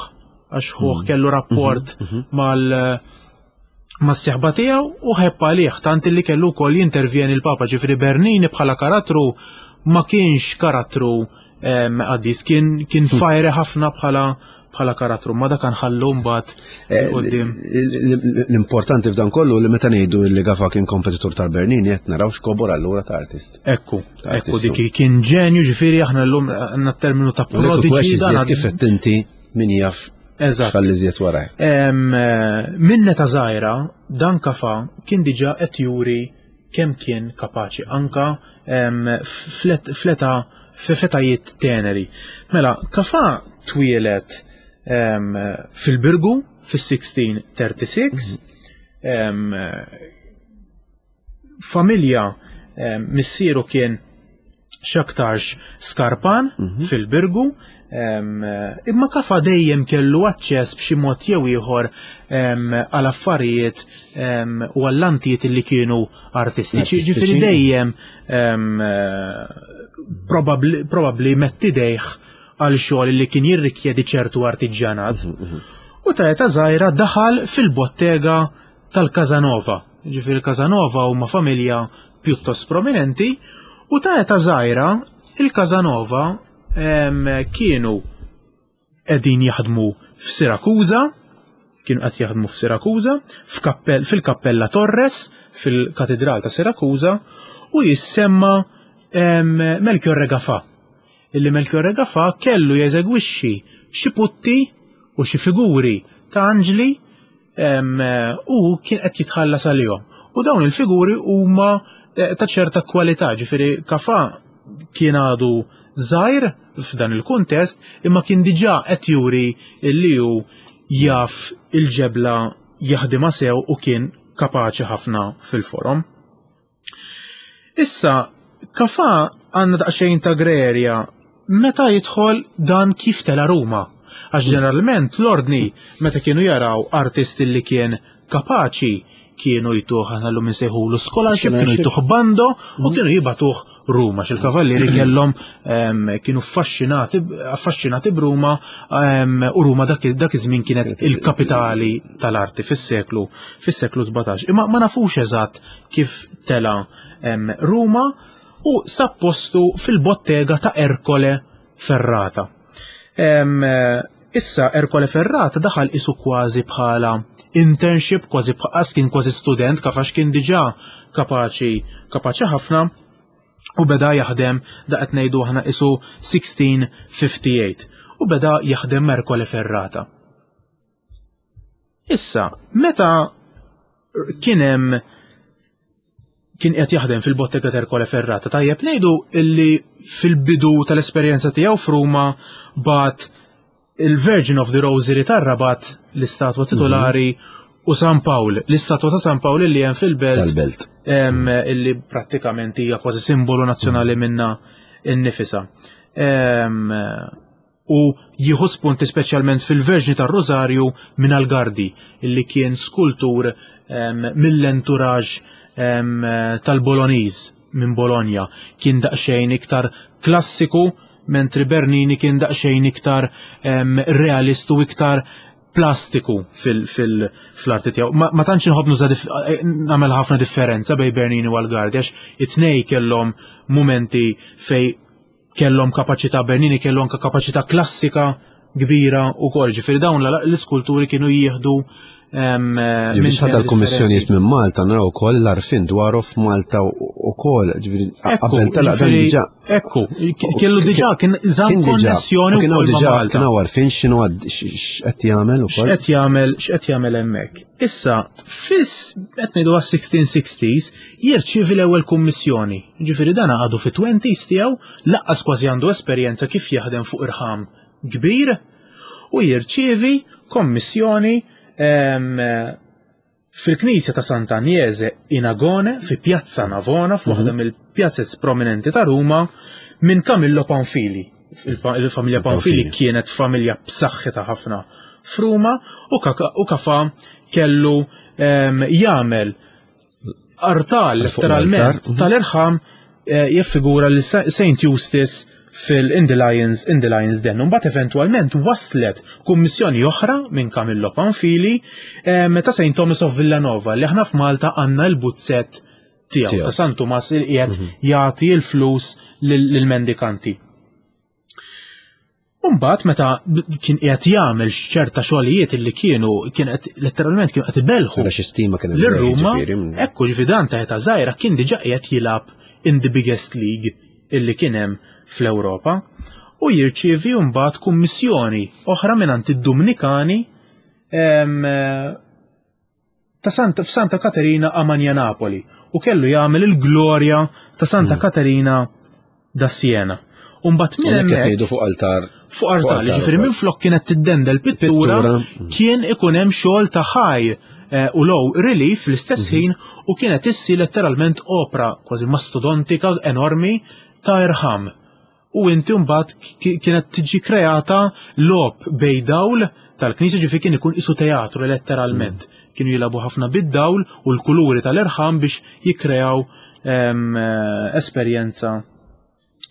għax ħuh kellu rapport mal mas-sieħba tiegħu u ħebb għalih, tant li kellu wkoll jintervjeni l-Papa. Ġifieri Bernini bħala karattru ma kienx karattru qaddis, kien kien fajre ħafna bħala bħala karattru, ma dak nħallu mbagħad quddiem. L-importanti f'dan kollu li meta ngħidu li Gafà kien kompetitur tal-Bernini qed naraw x'kobor allura ta' artist. Ekku, ekku dik kien ġenju, ġifieri aħna llum għandna terminu ta' prodigy. Dan kif qed inti min jaf. Eżatt. X'ħalli żjed waraj. Minn meta żgħira dan Gafà kien diġà qed juri kemm kien kapaċi anka fleta f'etajiet teneri. Mela, Gafà twielet fil-Birgu fis-sixteen thirty-six, familja missieru kien x'aktarx skarpan fil-Birgu, imma Gafà dejjem kellu aċċess b'xi mod jew ieħor għal affarijiet u għall-antijiet li kienu artistiċi. Ġifieri dejjem probabbli metti idejh għal xogħol li kien jirrikjedi ċertu artiġjanat. U ta' età żgħira daħal fil-bottega tal-Casanova. Ġifieri il-Casanova huma familja pjuttost prominenti, u ta' età żgħira il-Casanova kienu qegħdin jaħdmu f'Sirakuża, kienu qed jaħdmu f'Sirakuża, fil-Kappella Torres, fil-Katedral ta' Sirakuża, u jissemma Melchiorre Gafà. Illi Melchiorre Gafà kellu jeżegwixxi xi putti u xi figuri ta' anġli u kien qed jitħallas għalihom. U dawn il-figuri huma ta' ċerta kwalità, ġifieri Gafà kien għadu żgħir f'dan il-kuntest, imma kien diġà qed juri li hu jaf il-ġebla jaħdimha sew u kien kapaċi ħafna fil-forom. Issa, Gafà għandna daqsxejn ta' grerja meta jidħol dan kif tela Ruma. Għax ġeneralment l-ordni meta kienu jaraw artisti li kien kapaċi kienu jtuh, aħna llum insejħulu scholarship, kienu jtuh bando u kienu jibatuh Ruma, x'il-kavallieri kellhom kienu affaxxinati b'Ruma, u Ruma dak iż-żmien kienet il-kapitali tal-arti fis-seklu fis-seklu sbatax. Imma ma nafux eżatt kif tela Ruma u sab postu fil-bottega ta' Ercole Ferrata. Issa Ercole Ferrata daħal isu kważi bħala internship, kważi bħas kien kważi student, kafax kien diġà kapaċi kapaċi ħafna, u beda jaħdem da qed ngħidu aħna isu sixteen fifty-eight, u beda jaħdem Ercole Ferrata. Issa, meta kien hemm Kien qed jaħdem fil-Bottega Ercole Ferrata. Tajjeb ngħidu illi fil-bidu tal-esperjenza tiegħu f'Ruma bagħat il-Virgin of the Rosary tar-Rabat, l-istatwa titolari, u San Pawl, l-istatwa ta' San Pawl li hemm fil-belt Tal-belt. em, illi prattikament hija kważi simbolu nazzjonali minna innifisa. Em, u jieħu spunti speċjalment fil-Verġni tar-Rosario minn Algardi, illi kien skultur em, mill-entourage em, tal-Boloniż minn Bologna. Kien daqsxejn iktar klassiku, mentri Bernini kien daqsxejn iktar em, realistu, iktar plastiku fil-arti tiegħu. Ma, ma tantx inħobb nuża dif- eh, nagħmel ħafna differenza bejn Bernini u Algardi, għax it-tnej kellhom momenti fej kellhom kapaċità, Bernini kellu anke kapaċità klassika kbira u kol, ġifieri dawn l- l-iskulturi kienu jieħdu em, Li minn biex ħadha temi l-kummissjonijiet differenti. minn Malta, naraw ukoll l-għarfien dwaru f'Malta ukoll, ġifieri Ekku, qabel telaq dan ġifieri, diġà. Ekku, kellu diġà kien żamm Kien diġà, konnessjoni u kien hawn wkoll ma' diġà Malta. Kien hawn għarfien x'inhu għad- x'qed jagħmel ukoll. X'qed jagħmel x'qed jagħmel hemmhekk. Issa, fis qed ngħidu għas-sixteen sixties jirċievi l-ewwel kummissjoni. Ġifieri dan għadu fit-twenties tiegħu, lanqas kważi għandu esperjenza kif jaħdem fuq irħam kbir, u jirċievi kommissjoni em, fil-knisja ta' Sant'Agnese in Agone fi Piazza Navona, f'waħda mill-pjazzez prominenti ta' Ruma, minn Camillo Panfili. Il-fa- Il-familja Panfili Panfili. kienet familja b'saħħitha ħafna f'Ruma u kaka- u Cafà kellu em, jagħmel artal Fuq letteralment l-altar. tal-irħam eh, jiffigura li Saint Eustace fil in the Lions in the Lions Den. Mbagħad eventwalment waslet kummissjoni oħra minn Camillo Panfili em, ta' Saint Thomas of Villanova, li aħna f'Malta għandna l-buzzett tiegħu Tiegħu. ta' San Tumas il qiegħed jagħti l-flus lil- lill-mendikanti. Umbat meta b- kien qiegħed jagħmel ċerta xogħlijiet illi kienu kien qed letteralment kienu qed ibelħu Ara xi stima kien hemm l-Ruma, ġifieri, mm. ekku, ġifieri dan ta' età żgħira kien diġà qiegħed jilgħab in the biggest league illi kien hemm fl-Ewropa, u jirċievi mbagħad kummissjoni oħra mingħand id-Dominikani em, ta' Santa, f'Santa Caterina a Napoli, u kellu jagħmel il-glorja ta' Santa Caterina da Siena. Umbat minn Hawnhekk qed hemmhekk ngħidu fuq altar. Fuq artal, altar ġifieri ukoll. minn flok kienet tiddendel pittura, Pittura. kien ikun hemm xogħol ta' high eh, u low relief fl-istess ħin, u kienet issi letteralment opra kważi mastodontika enormi ta' irħam. U inti mbagħad ki- kienet tiġi kreata logħob bejn dawl tal-knisja, ġifieri kien ikun isu teatru letteralment. Kienu jilagħbu ħafna bid-dawl u l-kuluri tal-irħam biex jikkreaw em, eh, esperjenza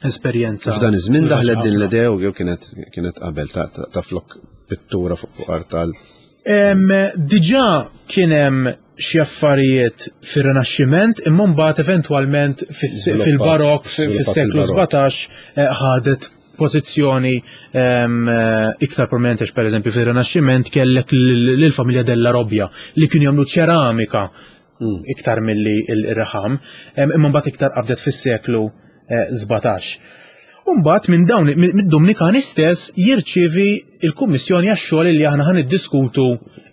esperjenza. F'dan iż-żmien daħlet din ħafna. l-idea u jew kienet kienet qabel ta' ta' ta' flok pittura fuq fuq artal? Em, Diġà kien hemm xi affarijiet fir-Rinaxximent, imma mbagħad eventwalment fis- Żviluppat. fil-Barok, fi- Żviluppat fis-seklu fil-Barok. sbatax eh, ħadet pożizzjoni em, eh, iktar prominenti, għax pereżempju fir-Rinaxximent kellek lill-familja Della Robbia li kienu jagħmlu ċeramika iktar milli il-irħam, em, imma mbagħad iktar qabdet fis-seklu eh, sbatax. Umbat minn dawn mid-Dominikani stess jirċievi il-kummissjoni għax-xogħol li aħna ħan iddiskutu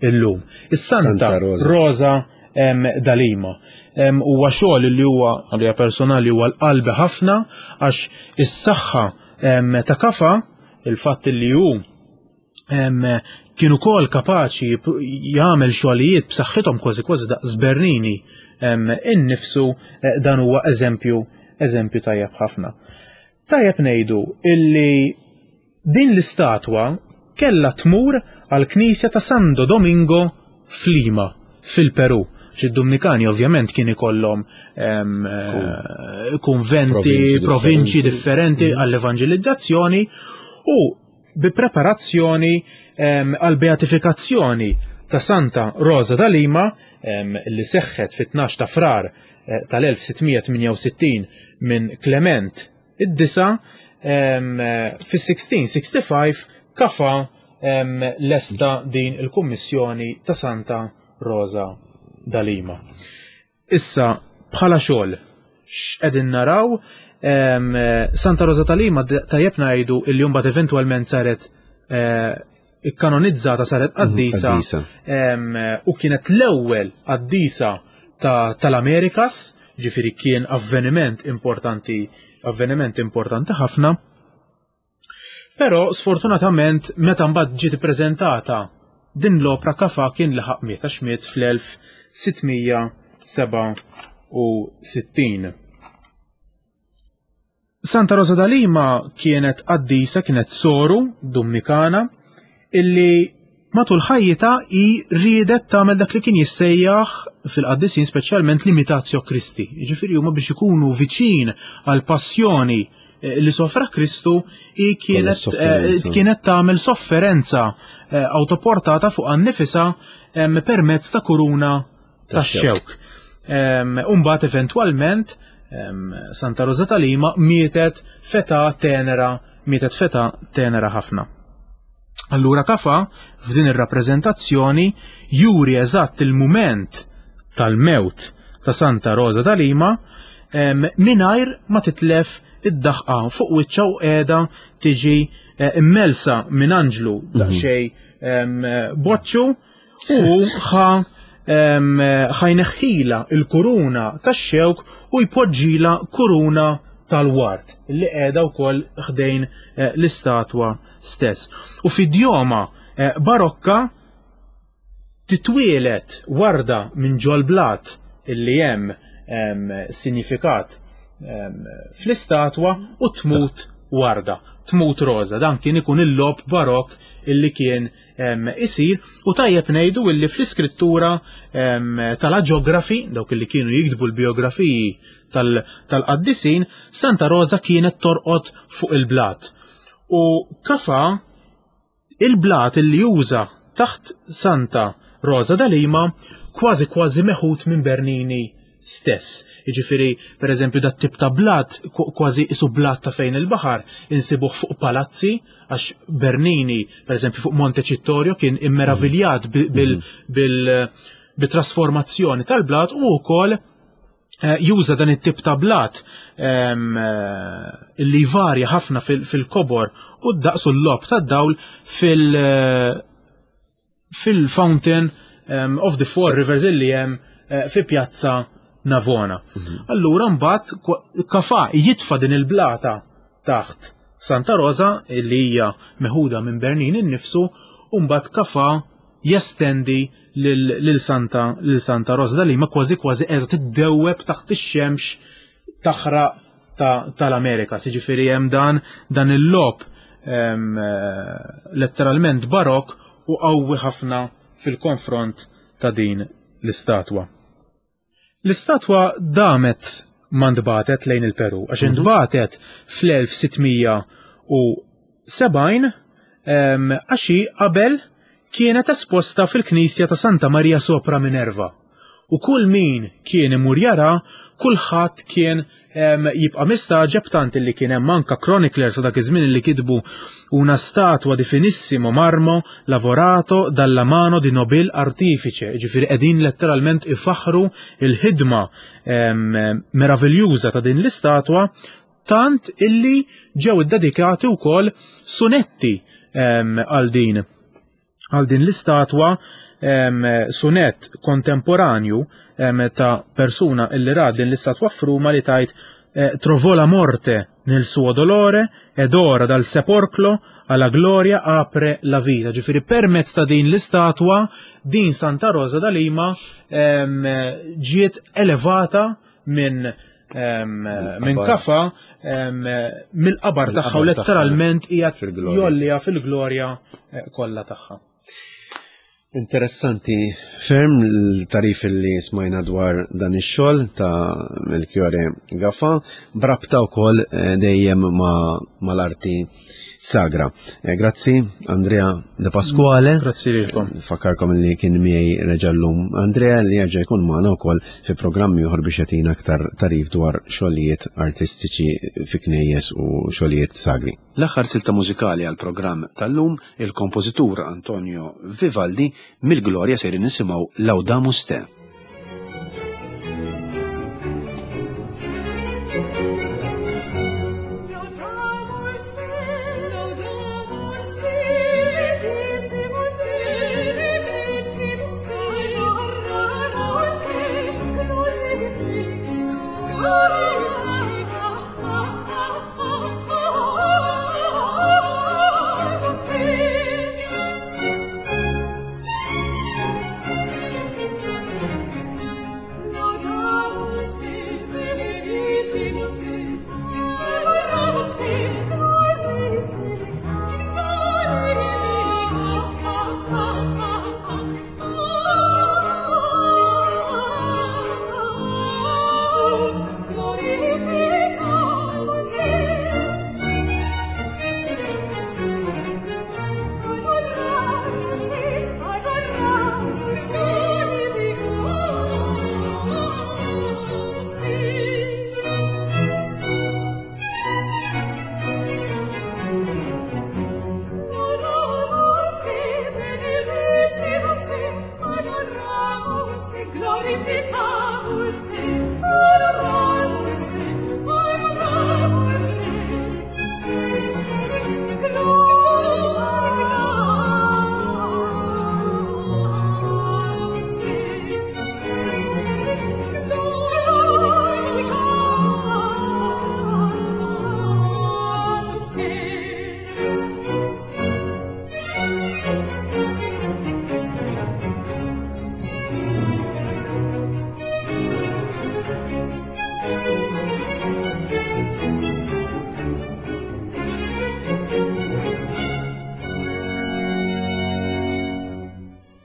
illum. Is-Santa Santa Rosa. Rosa em, da Lima. Em, Huwa xogħol li huwa għalija personali huwa l-qalbi ħafna, għax is-saħħa em, ta' Cafà, il-fatt li hu em, kien ukoll kapaċi jip- jagħmel xogħlijiet b'saħħithom kważi kważi daqs Bernini em, innifsu, eh, dan huwa eżempju eżempju tajjeb ħafna. Tajjeb ngħidu illi din l-istatwa kella tmur għal knisja ta' Santo Domingo f'Lima, fil-Peru. Xi Dominikani ovvjament kien ikollhom em, eh, konventi, Provinċi provinċi differenti. differenti għall-evanġelizzazzjoni, u bi preparazzjoni em, għal-beatifikazzjoni ta' Santa Rosa da Lima em, li seħħet fit-tnax ta' Frar eh, tal-elf sitt mija tmienja u sittin minn Clement id-disa', em, eh, fis-sixteen sixty-five Cafà em, lesta din il-kummissjoni ta' Santa Rosa da Lima. Issa, bħala xogħol, x'qegħdin naraw? em, eh, Santa Rosa ta' Lima, d- tajjeb ngħidu illi mbagħad eventwalment saret eh, ikkanonizzata, saret qaddisa qaddisa. em, u kienet l-ewwel qaddisa ta- tal-Amerikas. Ġifieri kien avveniment importanti, avveniment importanti ħafna. Però sfortunatament meta mbagħad ġiet ippreżentata din l-opra Cafà kien laħaq miet, għax miet fl-elf sittmija seba' u sittin. Santa Rosa da Lima kienet qaddisa, kienet soru Dominikana, illi matul ħajjitha hi riedet tagħmel dak li kien jissejjaħ fil-qaddisin speċjalment l-imitatio Christi. Jiġifieri huma biex ikunu viċin għall-passjoni, eh, li sofra Kristu, hi kienet, Għal sofferenza. eh, kienet tagħmel sofferenza, eh, autoportata fuq annifisa, em, permezz ta' kuruna tax-xewk. Em, Umbagħad eventwalment, em, Santa Rosa ta' Lima mietet feta tenera, mietet feta tenera ħafna. Allura Cafà f'din ir-rappreżentazzjoni juri eżatt il-mument tal-mewt ta' Santa Rosa ta' Lima, em, mingħajr ma titlef id-daħqa fuq wiċċha u qiegħda tiġi, eh, immelsa minn anġlu daqsxejn, em, boċċu u ħa, em, ħajneħħila il-kuruna tax-xewk u jpoġġila kuruna tal-ward li qiegħda wkoll ħdejn, eh, l-istatwa stess. U f'idjoma, eh, barokka titwielet warda minn ġol-blat illi hemm, em, sinifikat, em, fl-istatwa u tmut warda, tmut roża. Dan kien ikun il-lob barokk illi kien, em, isir. U tajjeb ngħidu illi fl-iskrittura, em, tal-aġografi, dawk illi kienu jiktbu l-biografiji tal-, tal-qaddisin, Santa Rosa kienet torqod fuq il-blat. U Cafà il-blat illi juża taħt Santa Rosa da Lima kważi kważi meħud minn Bernini stess. Jiġifieri, per eżempju, dat tip ta' blat, kwa-, kważi isu blat ta' fejn il-baħar, insibuh fuq palazzi, għax Bernini, per eżempju, fuq Monte Cittorio kien immeraviljat bi-, bil-, bil-, bit-trasformazzjoni tal-blat, u wkoll, eh, juża dan it-tip ta' blat, ehm, eh, li varja ħafna fil-, fil-kobor u d-daqs u l-lob tad-dawl fil-, eh, fil-fountain, ehm, of the Four Rivers illi hemm, eh, fi Pjazza Navona. Mhm. Allura mbagħad kwa-, Cafà jitfa' din il-blata taħt Santa Rosa illi hija meħuda minn Bernini nnifsu, u mbagħad Cafà jestendi lil, lil Santa, lil Santa Rosa da Lima kważi kważi qiegħda tiddewweb taħt ix-xemx taħraq ta-, tal-Amerika. Jiġifieri hemm dan, dan il-lob, ehm, eh, letteralment barok u qawwi ħafna fil-konfront ta' din l-istatwa. L-istatwa damet ma ntbatet lejn il-Peru, għax Mhm. intbatet fl-elf sittmija u sebgħin, ehm, għax hi qabel kienet esposta fil-Knisja ta' Santa Maria Sopra Minerva. U kull min kien imur jara, kulħadd kien, ehm, jibqa' mistaġeb, tant illi kien hemm anka chroniclers ta' dak iż-żmien li kitbu una statua di finissimo marmo lavorato dalla mano di nobil artifice, ġifieri qegħdin letteralment ifaħru il-ħidma, ehm, meraviljuża ta' din l-istatwa, tant illi ġew iddedikati wkoll sunetti, ehm, għal din għal din l-istatwa, ehm, sunet kontemporanju, ehm, ta' persuna illi ra din l-istatwa f'Ruma li tajt, eh, trovò la morte nel suo dolore ed ora dal sepolcro alla gloria apre la vita. Ġifieri permezz ta' din l-istatwa din Santa Rosa da Lima, ehm, ġiet elevata minn, ehm, minn Mill-qabar. Cafà, ehm, mill-qabar tagħha u Mill-qabar tagħha. letteralment hija Fil-glorja. jollija fil-glorja, eh, kollha tagħha. Interessanti ferm l-tarif li smajna dwar dan ix-xogħol ta' Melchiorre Gafà brabta wkoll, eh, dejjem ma', mal-arti sagra. Eh, grazzi Andrea De Pasquale. Grazzi lilkom. Fakkarkom li kien miegħi reġa' llum Andrea li jerġa' jkun magħna wkoll fi programmi oħra biex jagħtina aktar tarif dwar xogħlijiet artistiċi fi knejjes u xogħlijiet sagri. L-aħħar silta mużikali għal programm tal-lum, il-kompożitur Antonio Vivaldi mill-Gloria sejrin nisimgħu Laudamus Te. Thank you. Glorificamus te, glorificamus te, adoramus te, adoramus te. Glorificamus te, glorificamus te.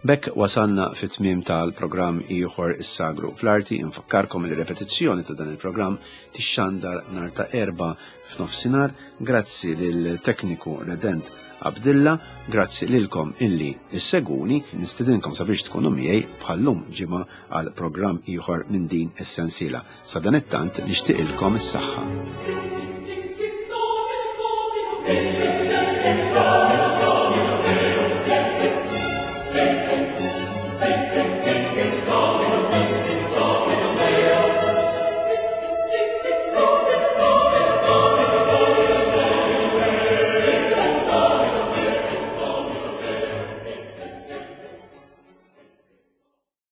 B'hekk wasalna fit-tmiem tal-programm ieħor Is-Sagru fl-Arti. Infakkarkom li repetizzjoni ta' dan il-programm tixxandar nhar ta' Erbgħa f'nofsinhar. Grazzi lil tekniku Redent Abdilla, grazzi lilkom illi issegwuni, nistedinkom sabiex tkunu miegħi bħallum ġimgħa għal programm ieħor minn din is-sensiela. Sa dan it-tant nixtieqilkom is-saħħa. Thank you.